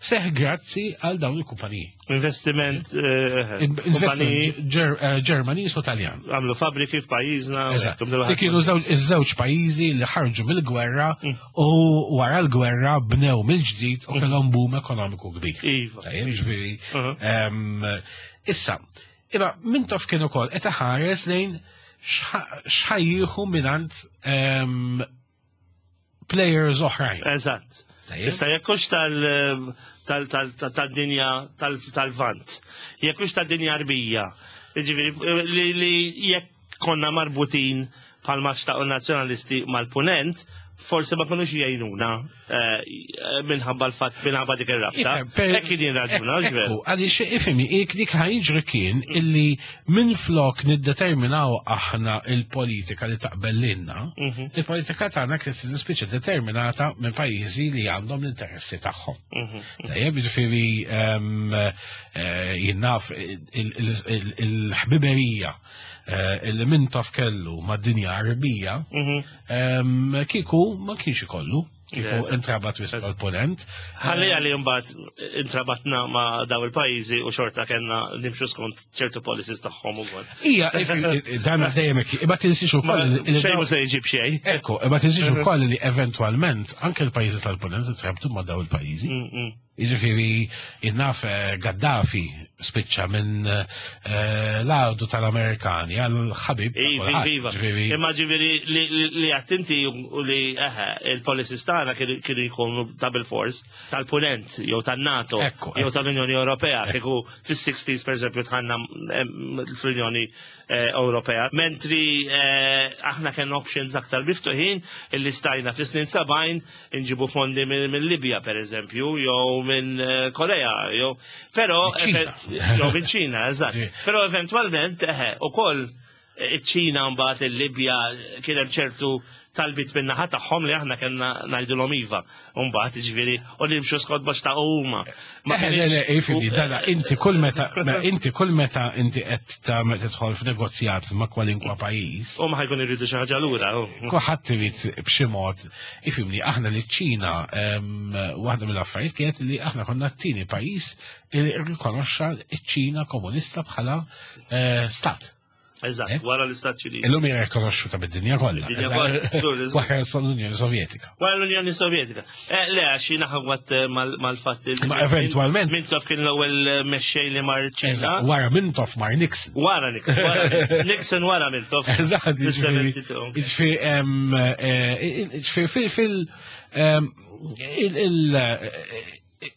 seħ grazzi għal dawn il-kumpaniji. Investiment, eh, Investment kumpaniji Ġer- eh, Ġermaniż u Taljan. għamlu fabriki f'pajjiżna. Eżatt. Li kienu żewġ- iż-żewġ pajjiżi li ħarġu mill-gwerra u wara l-gwerra bnew mill-ġdid u kellhom boom ekonomiku kbir. Iva. Tajjeb, ġifieri, Uh-huh. em, issa, imma Mintoff kien ukoll qed iħares lejn x'ħa- x'ħa jieħu mingħand em, players oħrajn. Eżatt. Tajjeb. Issa jekk hux tal- tal- tal- tal- tal-dinja tal- tal-Vant, jekk hux tad-dinja Arbija, jiġifieri li li jekk konna marbutin bħalma xtaqu nazzjonalisti mal-punent, Forsi ma kinux jgħinuna eh, minħabba l-fatt minħabba dik ir-rabta. Hekk kien jirraġuna, ġver. Għaliex ifhimni, dik ħa jiġri kien illi minn flok niddeterminaw aħna il-politika li taqbel lilna, Mhm. il-politika tagħna kienet tispiċċa determinata minn pajjiżi li għandhom l-interessi tagħhom. Mhm. Tajjeb, jiġifieri ehm, eh, jien naf il-ħbiberija eh, illi Mintoff kellu mad-dinja Arbija, Mhm. ehm, kieku ma kienx ikollu, kieku Eżatt. intrabat wisq mal-ponent. Ħalli għalli mbagħad intrabatna ma' daw il-pajjiżi u xorta kellna nimxu skont ċertu policies tagħhom ukoll. Ija, if- dan dejjem hekk, imma tinsiex ukoll li Xejn mhu se jġib xejn. Ekku, imma tinsiex ukoll li eventwalment anke l-pajjiżi tal-ponent intrabtu ma' daw il-pajjiżi. Mm, mm. Jiġifieri jien naf eh, Gaddafi spiċċa minn eh, l-għadu tal-Amerikani għal ħabib. ta' Iva, kulħadd, iva. Ġifieri, Imma ġifieri li li għattinti u li eħe, il-policies tagħna kienu kienu jkunu ta' bil-fors tal-punent jew tan-NATO Ekku, jew ekku. tal-Unjoni Ewropea kieku fis-sixties per eżempju dħalna em, fl-Unjoni eh, Ewropea. Mentri eh, aħna kellna options aktar miftuħin illi stajna fis-snin sebgħin inġibu fondi minn minn Libja per eżempju jew minn eh, Korea jew però Miċ-Ċina. jew minn Ċina, eżatt. Ġi. Però eventwalment eħe, ukoll iċ-Ċina mbagħad il-Libja kien hemm ċertu talbit minn naħa tagħhom li aħna kellna ngħidulhom iva. U mbagħad jiġifieri u nimxu skont ma xtaqu huma. Ma Eh, le, le, kienx- ifhimni, dana, inti kull meta, ma inti kull meta inti qed tagħmel tidħol f'negozjat ma' kwalinkwa pajjiż, U ma ħa jkun irridu xi ħaġa lura. u. kulħadd irid b'xi mod, ifhimni, aħna li ċ-Ċina em, waħda mill-affarijiet kienet li aħna konna t-tieni pajjiż li rrikonoxxa ċ-Ċina komunista bħala eh, stat. Eżatt, Eh? wara l-Istati Uniti. Illum jirrikonoxxu ta' bid-dinja kollha. Id-dinja kollha, żgur, żgur. Wara l-Unjoni Sovjetika. Wara l-Unjoni Sovjetika. Eh, Le, għax jiena ħawat mal-fatt li. Ma eventwalment- Mintoff kien l-ewwel mexxej li mar ċina. Eżatt, wara Mintoff mar Nixon. Wara Nixon, wara Nixon wara Mintoff. Eżatt, jiġifieri- Fis-seventy-two. jiġifieri, em, eh, jiġifieri fil- fil- em, il- il-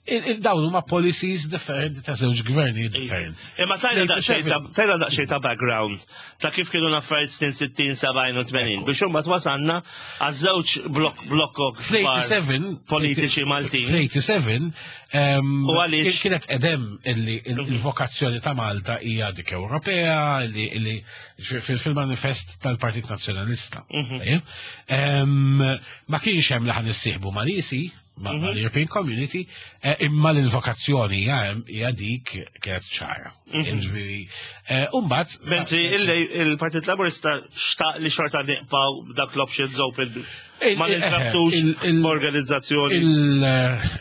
il- il- dawn huma policies differenti ta' żewġ gvernijiet differenti. Imma tajna daqsxejn ta' tajna daqsxejn ta' background ta' kif kienu l-affarijiet snin sittin, sebgħin u tmenin biex imbagħad wasalna għaż-żewġ blok blokkok kbar Fl-eighty-seven politiċi Maltin. Fl-eighty-seven em, U għaliex? kienet edem illi il- il-vokazzjoni ta' Malta hija dik Ewropea illi illi fil- fil-manifest tal-Partit Nazzjonalista. Mhm. Tajjeb? Em, Ma kienx hemm li ħa nissieħbu mal-E C, ma' Mhm. mal-European Community, eh, imma l-vokazzjoni hija hija dik kienet ċara. Mhm. Ġifieri, eh, u mbagħad Mentri il- il-Partit Laburista xtaq li xorta nibqgħu dak l-options open Il- ma il- nintrabtux il- il- organizzazzjoni. Il-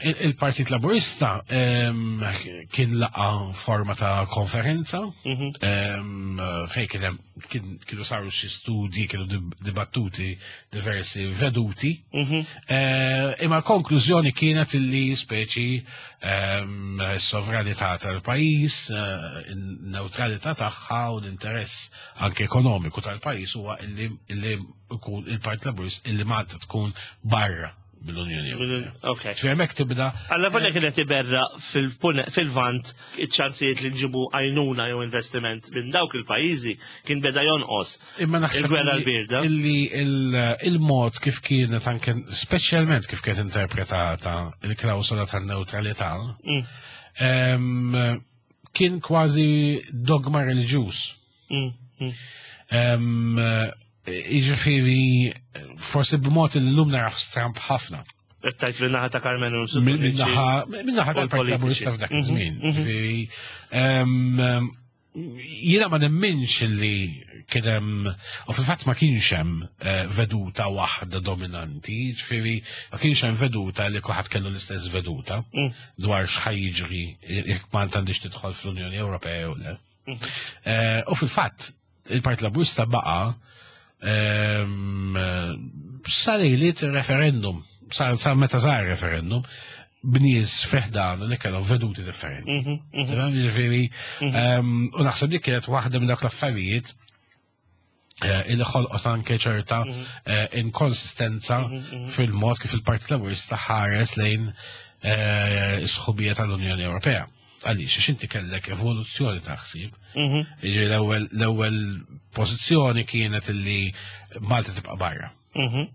il- Il-Partit Laburista em, kien laqa forma ta' konferenza Mhm. em, fejn kien hemm- kien- kienu saru xi studji, kienu dib- dibattuti diversi veduti. Mhm. Eh, Imma l-konklużjoni kienet illi speċi em, s-sovranità tal-pajjiż, eh, in-neutralità tagħha u l-interess anke ekonomiku tal-pajjiż huwa illi illi ikun il-Partit Laburist illi Malta tkun barra mill-Unjoni Ewropea. Ok. Ġifieri hemmhekk tibda Alla volja kienet iberra fil-pune- fil-vant iċ-ċansijiet li nġibu għajnuna jew investiment minn dawk il-pajjiżi kien beda jonqos. Imma naħseb Il-gwerra illi- l-birda. illi il- il-mod kif kienet anke speċjalment kif kienet interpretata il-klawsola tan-neutralità Mm, em, kien kważi dogma reliġjuż. mm, mm. Em, Jiġifieri forsi b'mod li llum naraf stramp ħafna. Qed tgħid min-naħa ta' Karmenu Min-naħa min-naħa U tal-Partit l-politiċi. Laburista f'dak Mhm, iż-żmien. mhm. Jiġifieri, em, Jiena ma nemminx li kien hemm, u fil-fatt ma kienx hemm eh, veduta waħda dominanti, ġifieri ma kienx hemm veduta li kulħadd kellu l-istess veduta Mm. dwar x'ħa jiġri jekk Malta għandix tidħol fl-Unjoni Ewropea jew le. Mhm. Eh, U fil-fatt il-Partit Laburista baqa' ehm, sa lejliet il-referendum, sa sa meta sar referendum, b'nies fi ħdan li kellhom veduti differenti. Mhm, mhm. Tifhem? Jiġifieri, ehm, u naħseb li kienet waħda minn dawk l-affarijiet eh, illi ħolqot anke ċerta eh, inkonsistenza fil-mod kif il-Partit Laburista ħares lejn eh, is-sħubija tal-Unjoni Ewropea. Għaliex, għax inti kellek evoluzzjoni ta' ħsieb. Mhm. Jiġifieri L-ewwel l-ewwel pożizzjoni kienet illi Malta tibqa' barra. Mhm.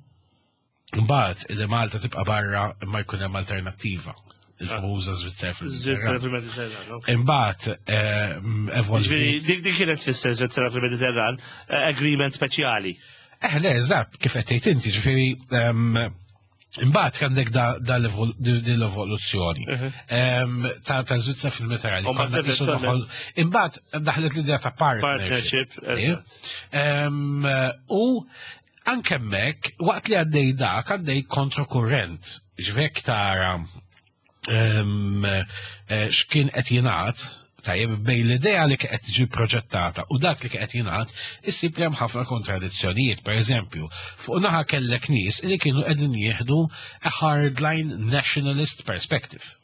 Mbagħad li Malta tibqa' barra imma jkun hemm alternattiva. Il-famuża Svizzera Svizzera fil-Mediterran. fil-Mediterran. ok. Imbagħad ehm, Ġifieri, evolviet. dik dik kienet tfisser Svizzera fil-Mediterran, eh, agreement speċjali. Eh, le, eżatt, kif qed tgħid inti, ġifieri ehm, imbagħad għandek da, da l-evol- di- di l-evoluzzjoni ehm, ta' ta' Svizzera fil-Mediterran. U Konna mbagħad qisu eventualment- noħol- Imbagħad daħlet l-idea ta' partnership. Partnership, eżatt. Ehm, U anke hemmhekk, waqt li għaddej dak, għaddej kontrokurrent. Ġifieri tara ehm, eh, x'kien qed jingħad, tajjeb bejn l-idea li qed tiġi proġettata u dak li qed jingħad, issib li hemm ħafna kontradizzjonijiet. Per eżempju, fuq naħa kellek nies li kienu qegħdin jieħdu a hardline nationalist perspective.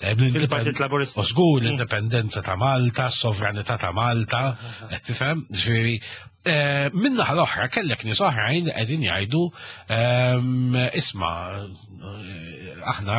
Tajjeb, Fil-Partit Laburista. U żgur l-indipendenza ta' Malta, s-sovranità ta' Malta, qed tifhem? Ġifieri, eh, min-naħa l-oħra kellek nies oħrajn li qegħdin jgħidu ehm, isma' eh, aħna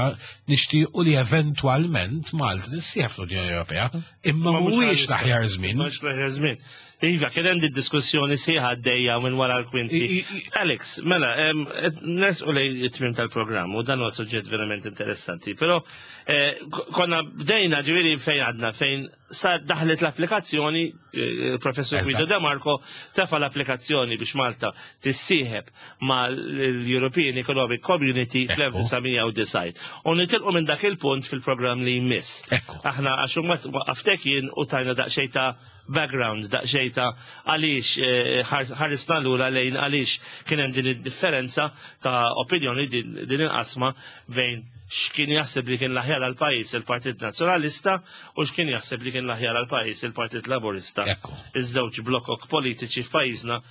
nixtiequ li eventwalment Malta tissieħeb fl-Unjoni Ewropea, imma Ma mhux mhuwiex għalissa. l-aħjar żmien. Mhux l-aħjar żmien. Iva, kien hemm diskussjoni sħiħa għaddejja minn wara l-kwinti. I- i- Alex, mela, em, et- nersqu lejn it-tmiem tal-programm u dan huwa suġġett verament interessanti. Però eh, k- konna bdejna ġifieri fejn għadna fejn sa daħlet l-applikazzjoni, eh, professor Eżatt. Guido De Marco tefa l-applikazzjoni biex Malta tissieħeb mal-European Economic Community Ekku. fl-elf disa' mija u disgħin. U nitilqu minn dak il-punt fil-programm li jmiss. Ekku. Aħna għax mbagħad waqaftek jien u tajna daqsxejn ta' background, daqsxejn ta' għaliex eh, ħar- ħarisna lura lejn għaliex kien hemm din id-differenza ta' opinjoni din din il-qasma bejn x'kien jaħseb li kien l-aħjar għal pajjiż il-Partit Nazzjonalista u x'kien jaħseb li kien l-aħjar għal pajjiż il-Partit Laburista. Ekku. Iż-żewġ blokok politiċi f'pajjiżna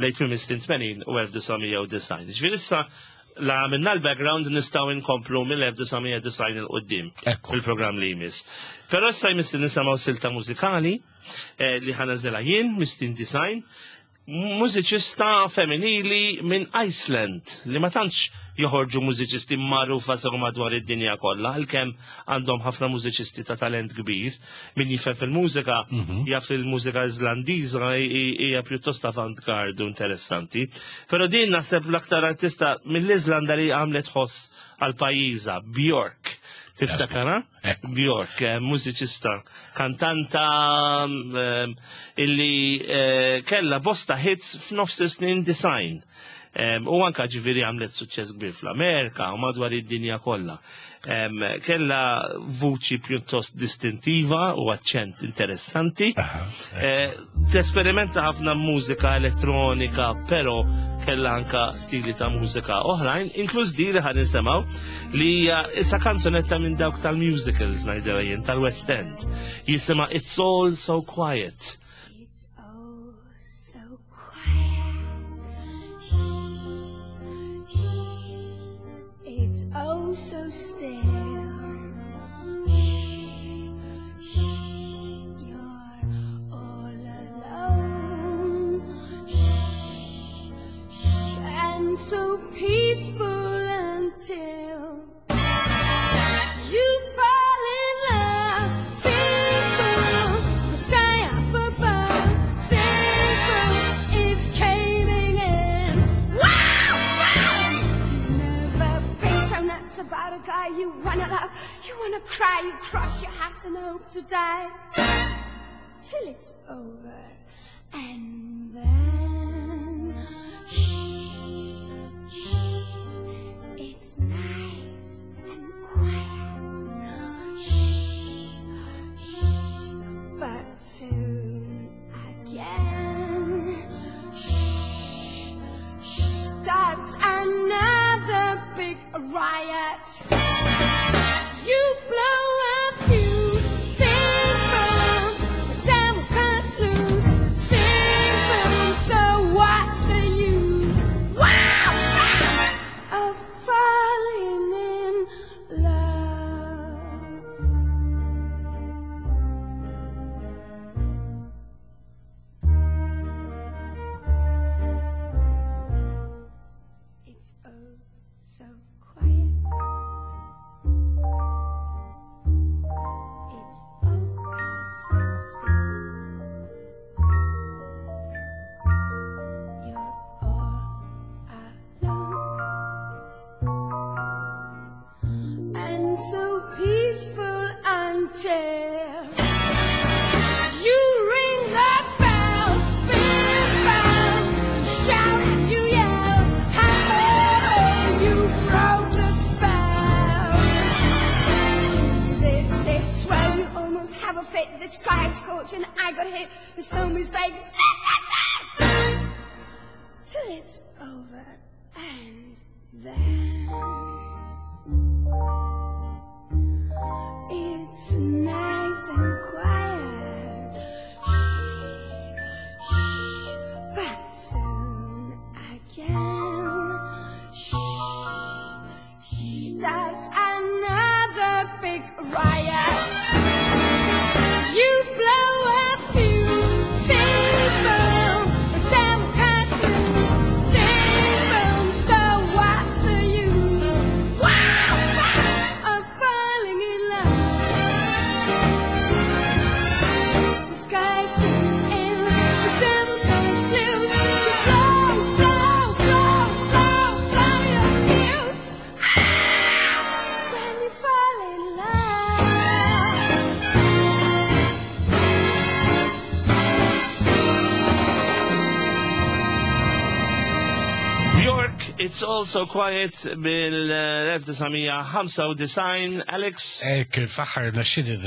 lejn tmiem is-snin tmenin u elf disa' mija u disgħin. Ġifieri issa la minna l-background nistgħu nkomplu mill-elf disa' mija u disgħin 'il quddiem Ekku. fil-programm li jmiss. Però issa jmiss li nisimgħu silta mużikali eh, li ħa nagħżilha jien, mis-snin disgħin, mużiċista femminili minn Iceland li ma tantx joħorġu mużiċisti magħrufa sew madwar id-dinja kollha, għalkemm għandhom ħafna mużiċisti ta' talent kbir. Min jifhem fil-mużika jaf li l-mużika Islandiża hija pjuttost avant-garde u interessanti. Però din naħseb l-aktar artista mill-Iżlanda li għamlet ħoss għal pajjiżha, Bjork. Tiftakara? Ekku. Bjork, eh, mużiċista, kantanta eh, illi eh, kella bosta hits f'nofs snin disgħin. Em, U anka ġifieri għamlet suċċess kbir fl-Amerika u madwar id-dinja kollha. Em, Kella vuċi pjuttost distintiva u aċċent interessanti. Aha, Eh, Tesperimenta ħafna mużika elettronika, però kella anka stili ta' mużika oħrajn, inkluż di li ħa nisimgħu li hija issa kanzunetta minn dawk tal-musicals ngħidilha jien tal-West End. Jisimha It's All So Quiet. It's oh so quiet. Shh, shh. It's oh so still. Shh, shh. You're all alone. Shh, shh. And so peaceful until you fall in love. Simple, the sky up above. Simple is caving in. Wow, wow! You never been so nuts about a guy you wanna love. You wanna cry, you cross your heart and hope to die. Till it's over. And then, shh, shh, it's nice and quiet. Shh, shh, but soon again. Shh, shh, starts another big riot. You blow a fuse, sing boom, the devil cuts loose, sing boom, so what's the use? Wow, wow, of falling in love. It's oh so quiet. hit. There's no mistake. This is it. Till it's over and then it's nice and quiet. Shh, shh, but soon again. Shh, shh, starts another big riot. You blow a fuse, boom, the devil cuts loose, boom, so what's the use? Wow, wow, of falling in love. The sky caves in, the devil cuts loose. You blow, blow, blow, blow, blow your fuse. Ah, when you fall in love. Bjork, It's All So Quiet bil-elf disa' mija ħamsa u disgħin, Alex. Ek, fl-aħħar naxxini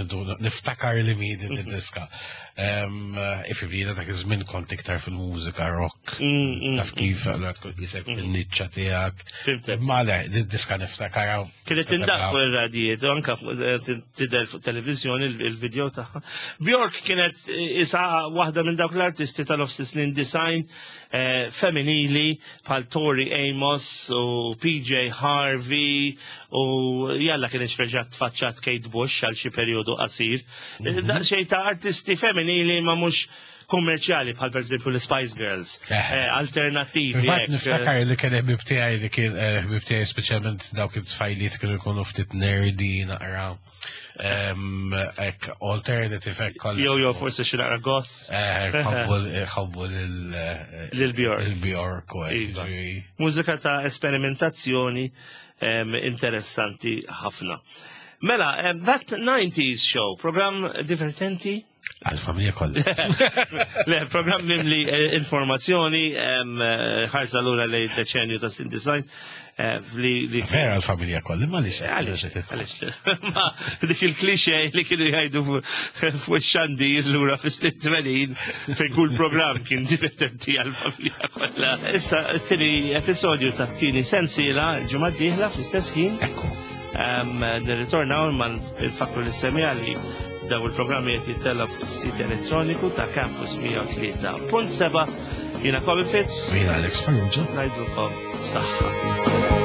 niftakar li mi din id-diska. Ifibli, dak iż-żmien kont iktar fil-mużika rock. Taf kif, allura tkun jisek fil-niċċa tiegħek. Fhimtek. Ma le, din-diska niftakar. Kienet tindaq fuq ir-radijiet, u anka fuq- eh, tidher fuq televizjoni il-video tagħha. Bjork kienet eh, isa waħda minn dawk l-artisti tal-nofs snin disgħin eh, femminili bħal Tori Amos u P J Harvey u jalla kienet reġgħet tfaċċat Kate Bush għal xi perjodu qasir. Daqsxejn ta' artisti femminili ma mhux kummerċjali bħal per eżempju l-Spice Girls, Eh. eh, alternattivi. Fil-fatt hekk, niftakar li kien ħbib tiegħi li kien eh, ħbib tiegħi, speċjalment dawk it-tfajliet kienu jkunu ftit nerdy naqra. Em, Ek alternative hekk kollha. Jew jew forsi xi naqra goth. Eh, ħobbu ħobbu lil Lil Bjork. Il-Bjork u hekk, Iva. ġifieri. Mużika ta' esperimentazzjoni em, interessanti ħafna. Mela, em, That nineties Show, program divertenti? Għal-familja kollha. Le, program mimli eh, informazzjoni, em, eh, ħarsa lura li deċenju ta' snin disgħin, eh, li li Vera għal-familja kollha, ma li Għalix, għalix, ma dik il-klixe li kienu jgħidu fuq xandir lura fis-snin tmenin fejn kull program kien divertenti għal-familja kollha. Issa t-tieni episodju ta' tieni sensiela ġimgħa d-dieħla fl-istess ħin. Ekku. Em, Nirritornaw ma nfakru lis-semmiegħa li daw il-programmi qed jittella fuq is-sit elettroniku ta' Campus mija u tlieta punt seba'. Jiena Kobi Fitz, Jiena Alex Farrugia. ngħidulkom saħħa.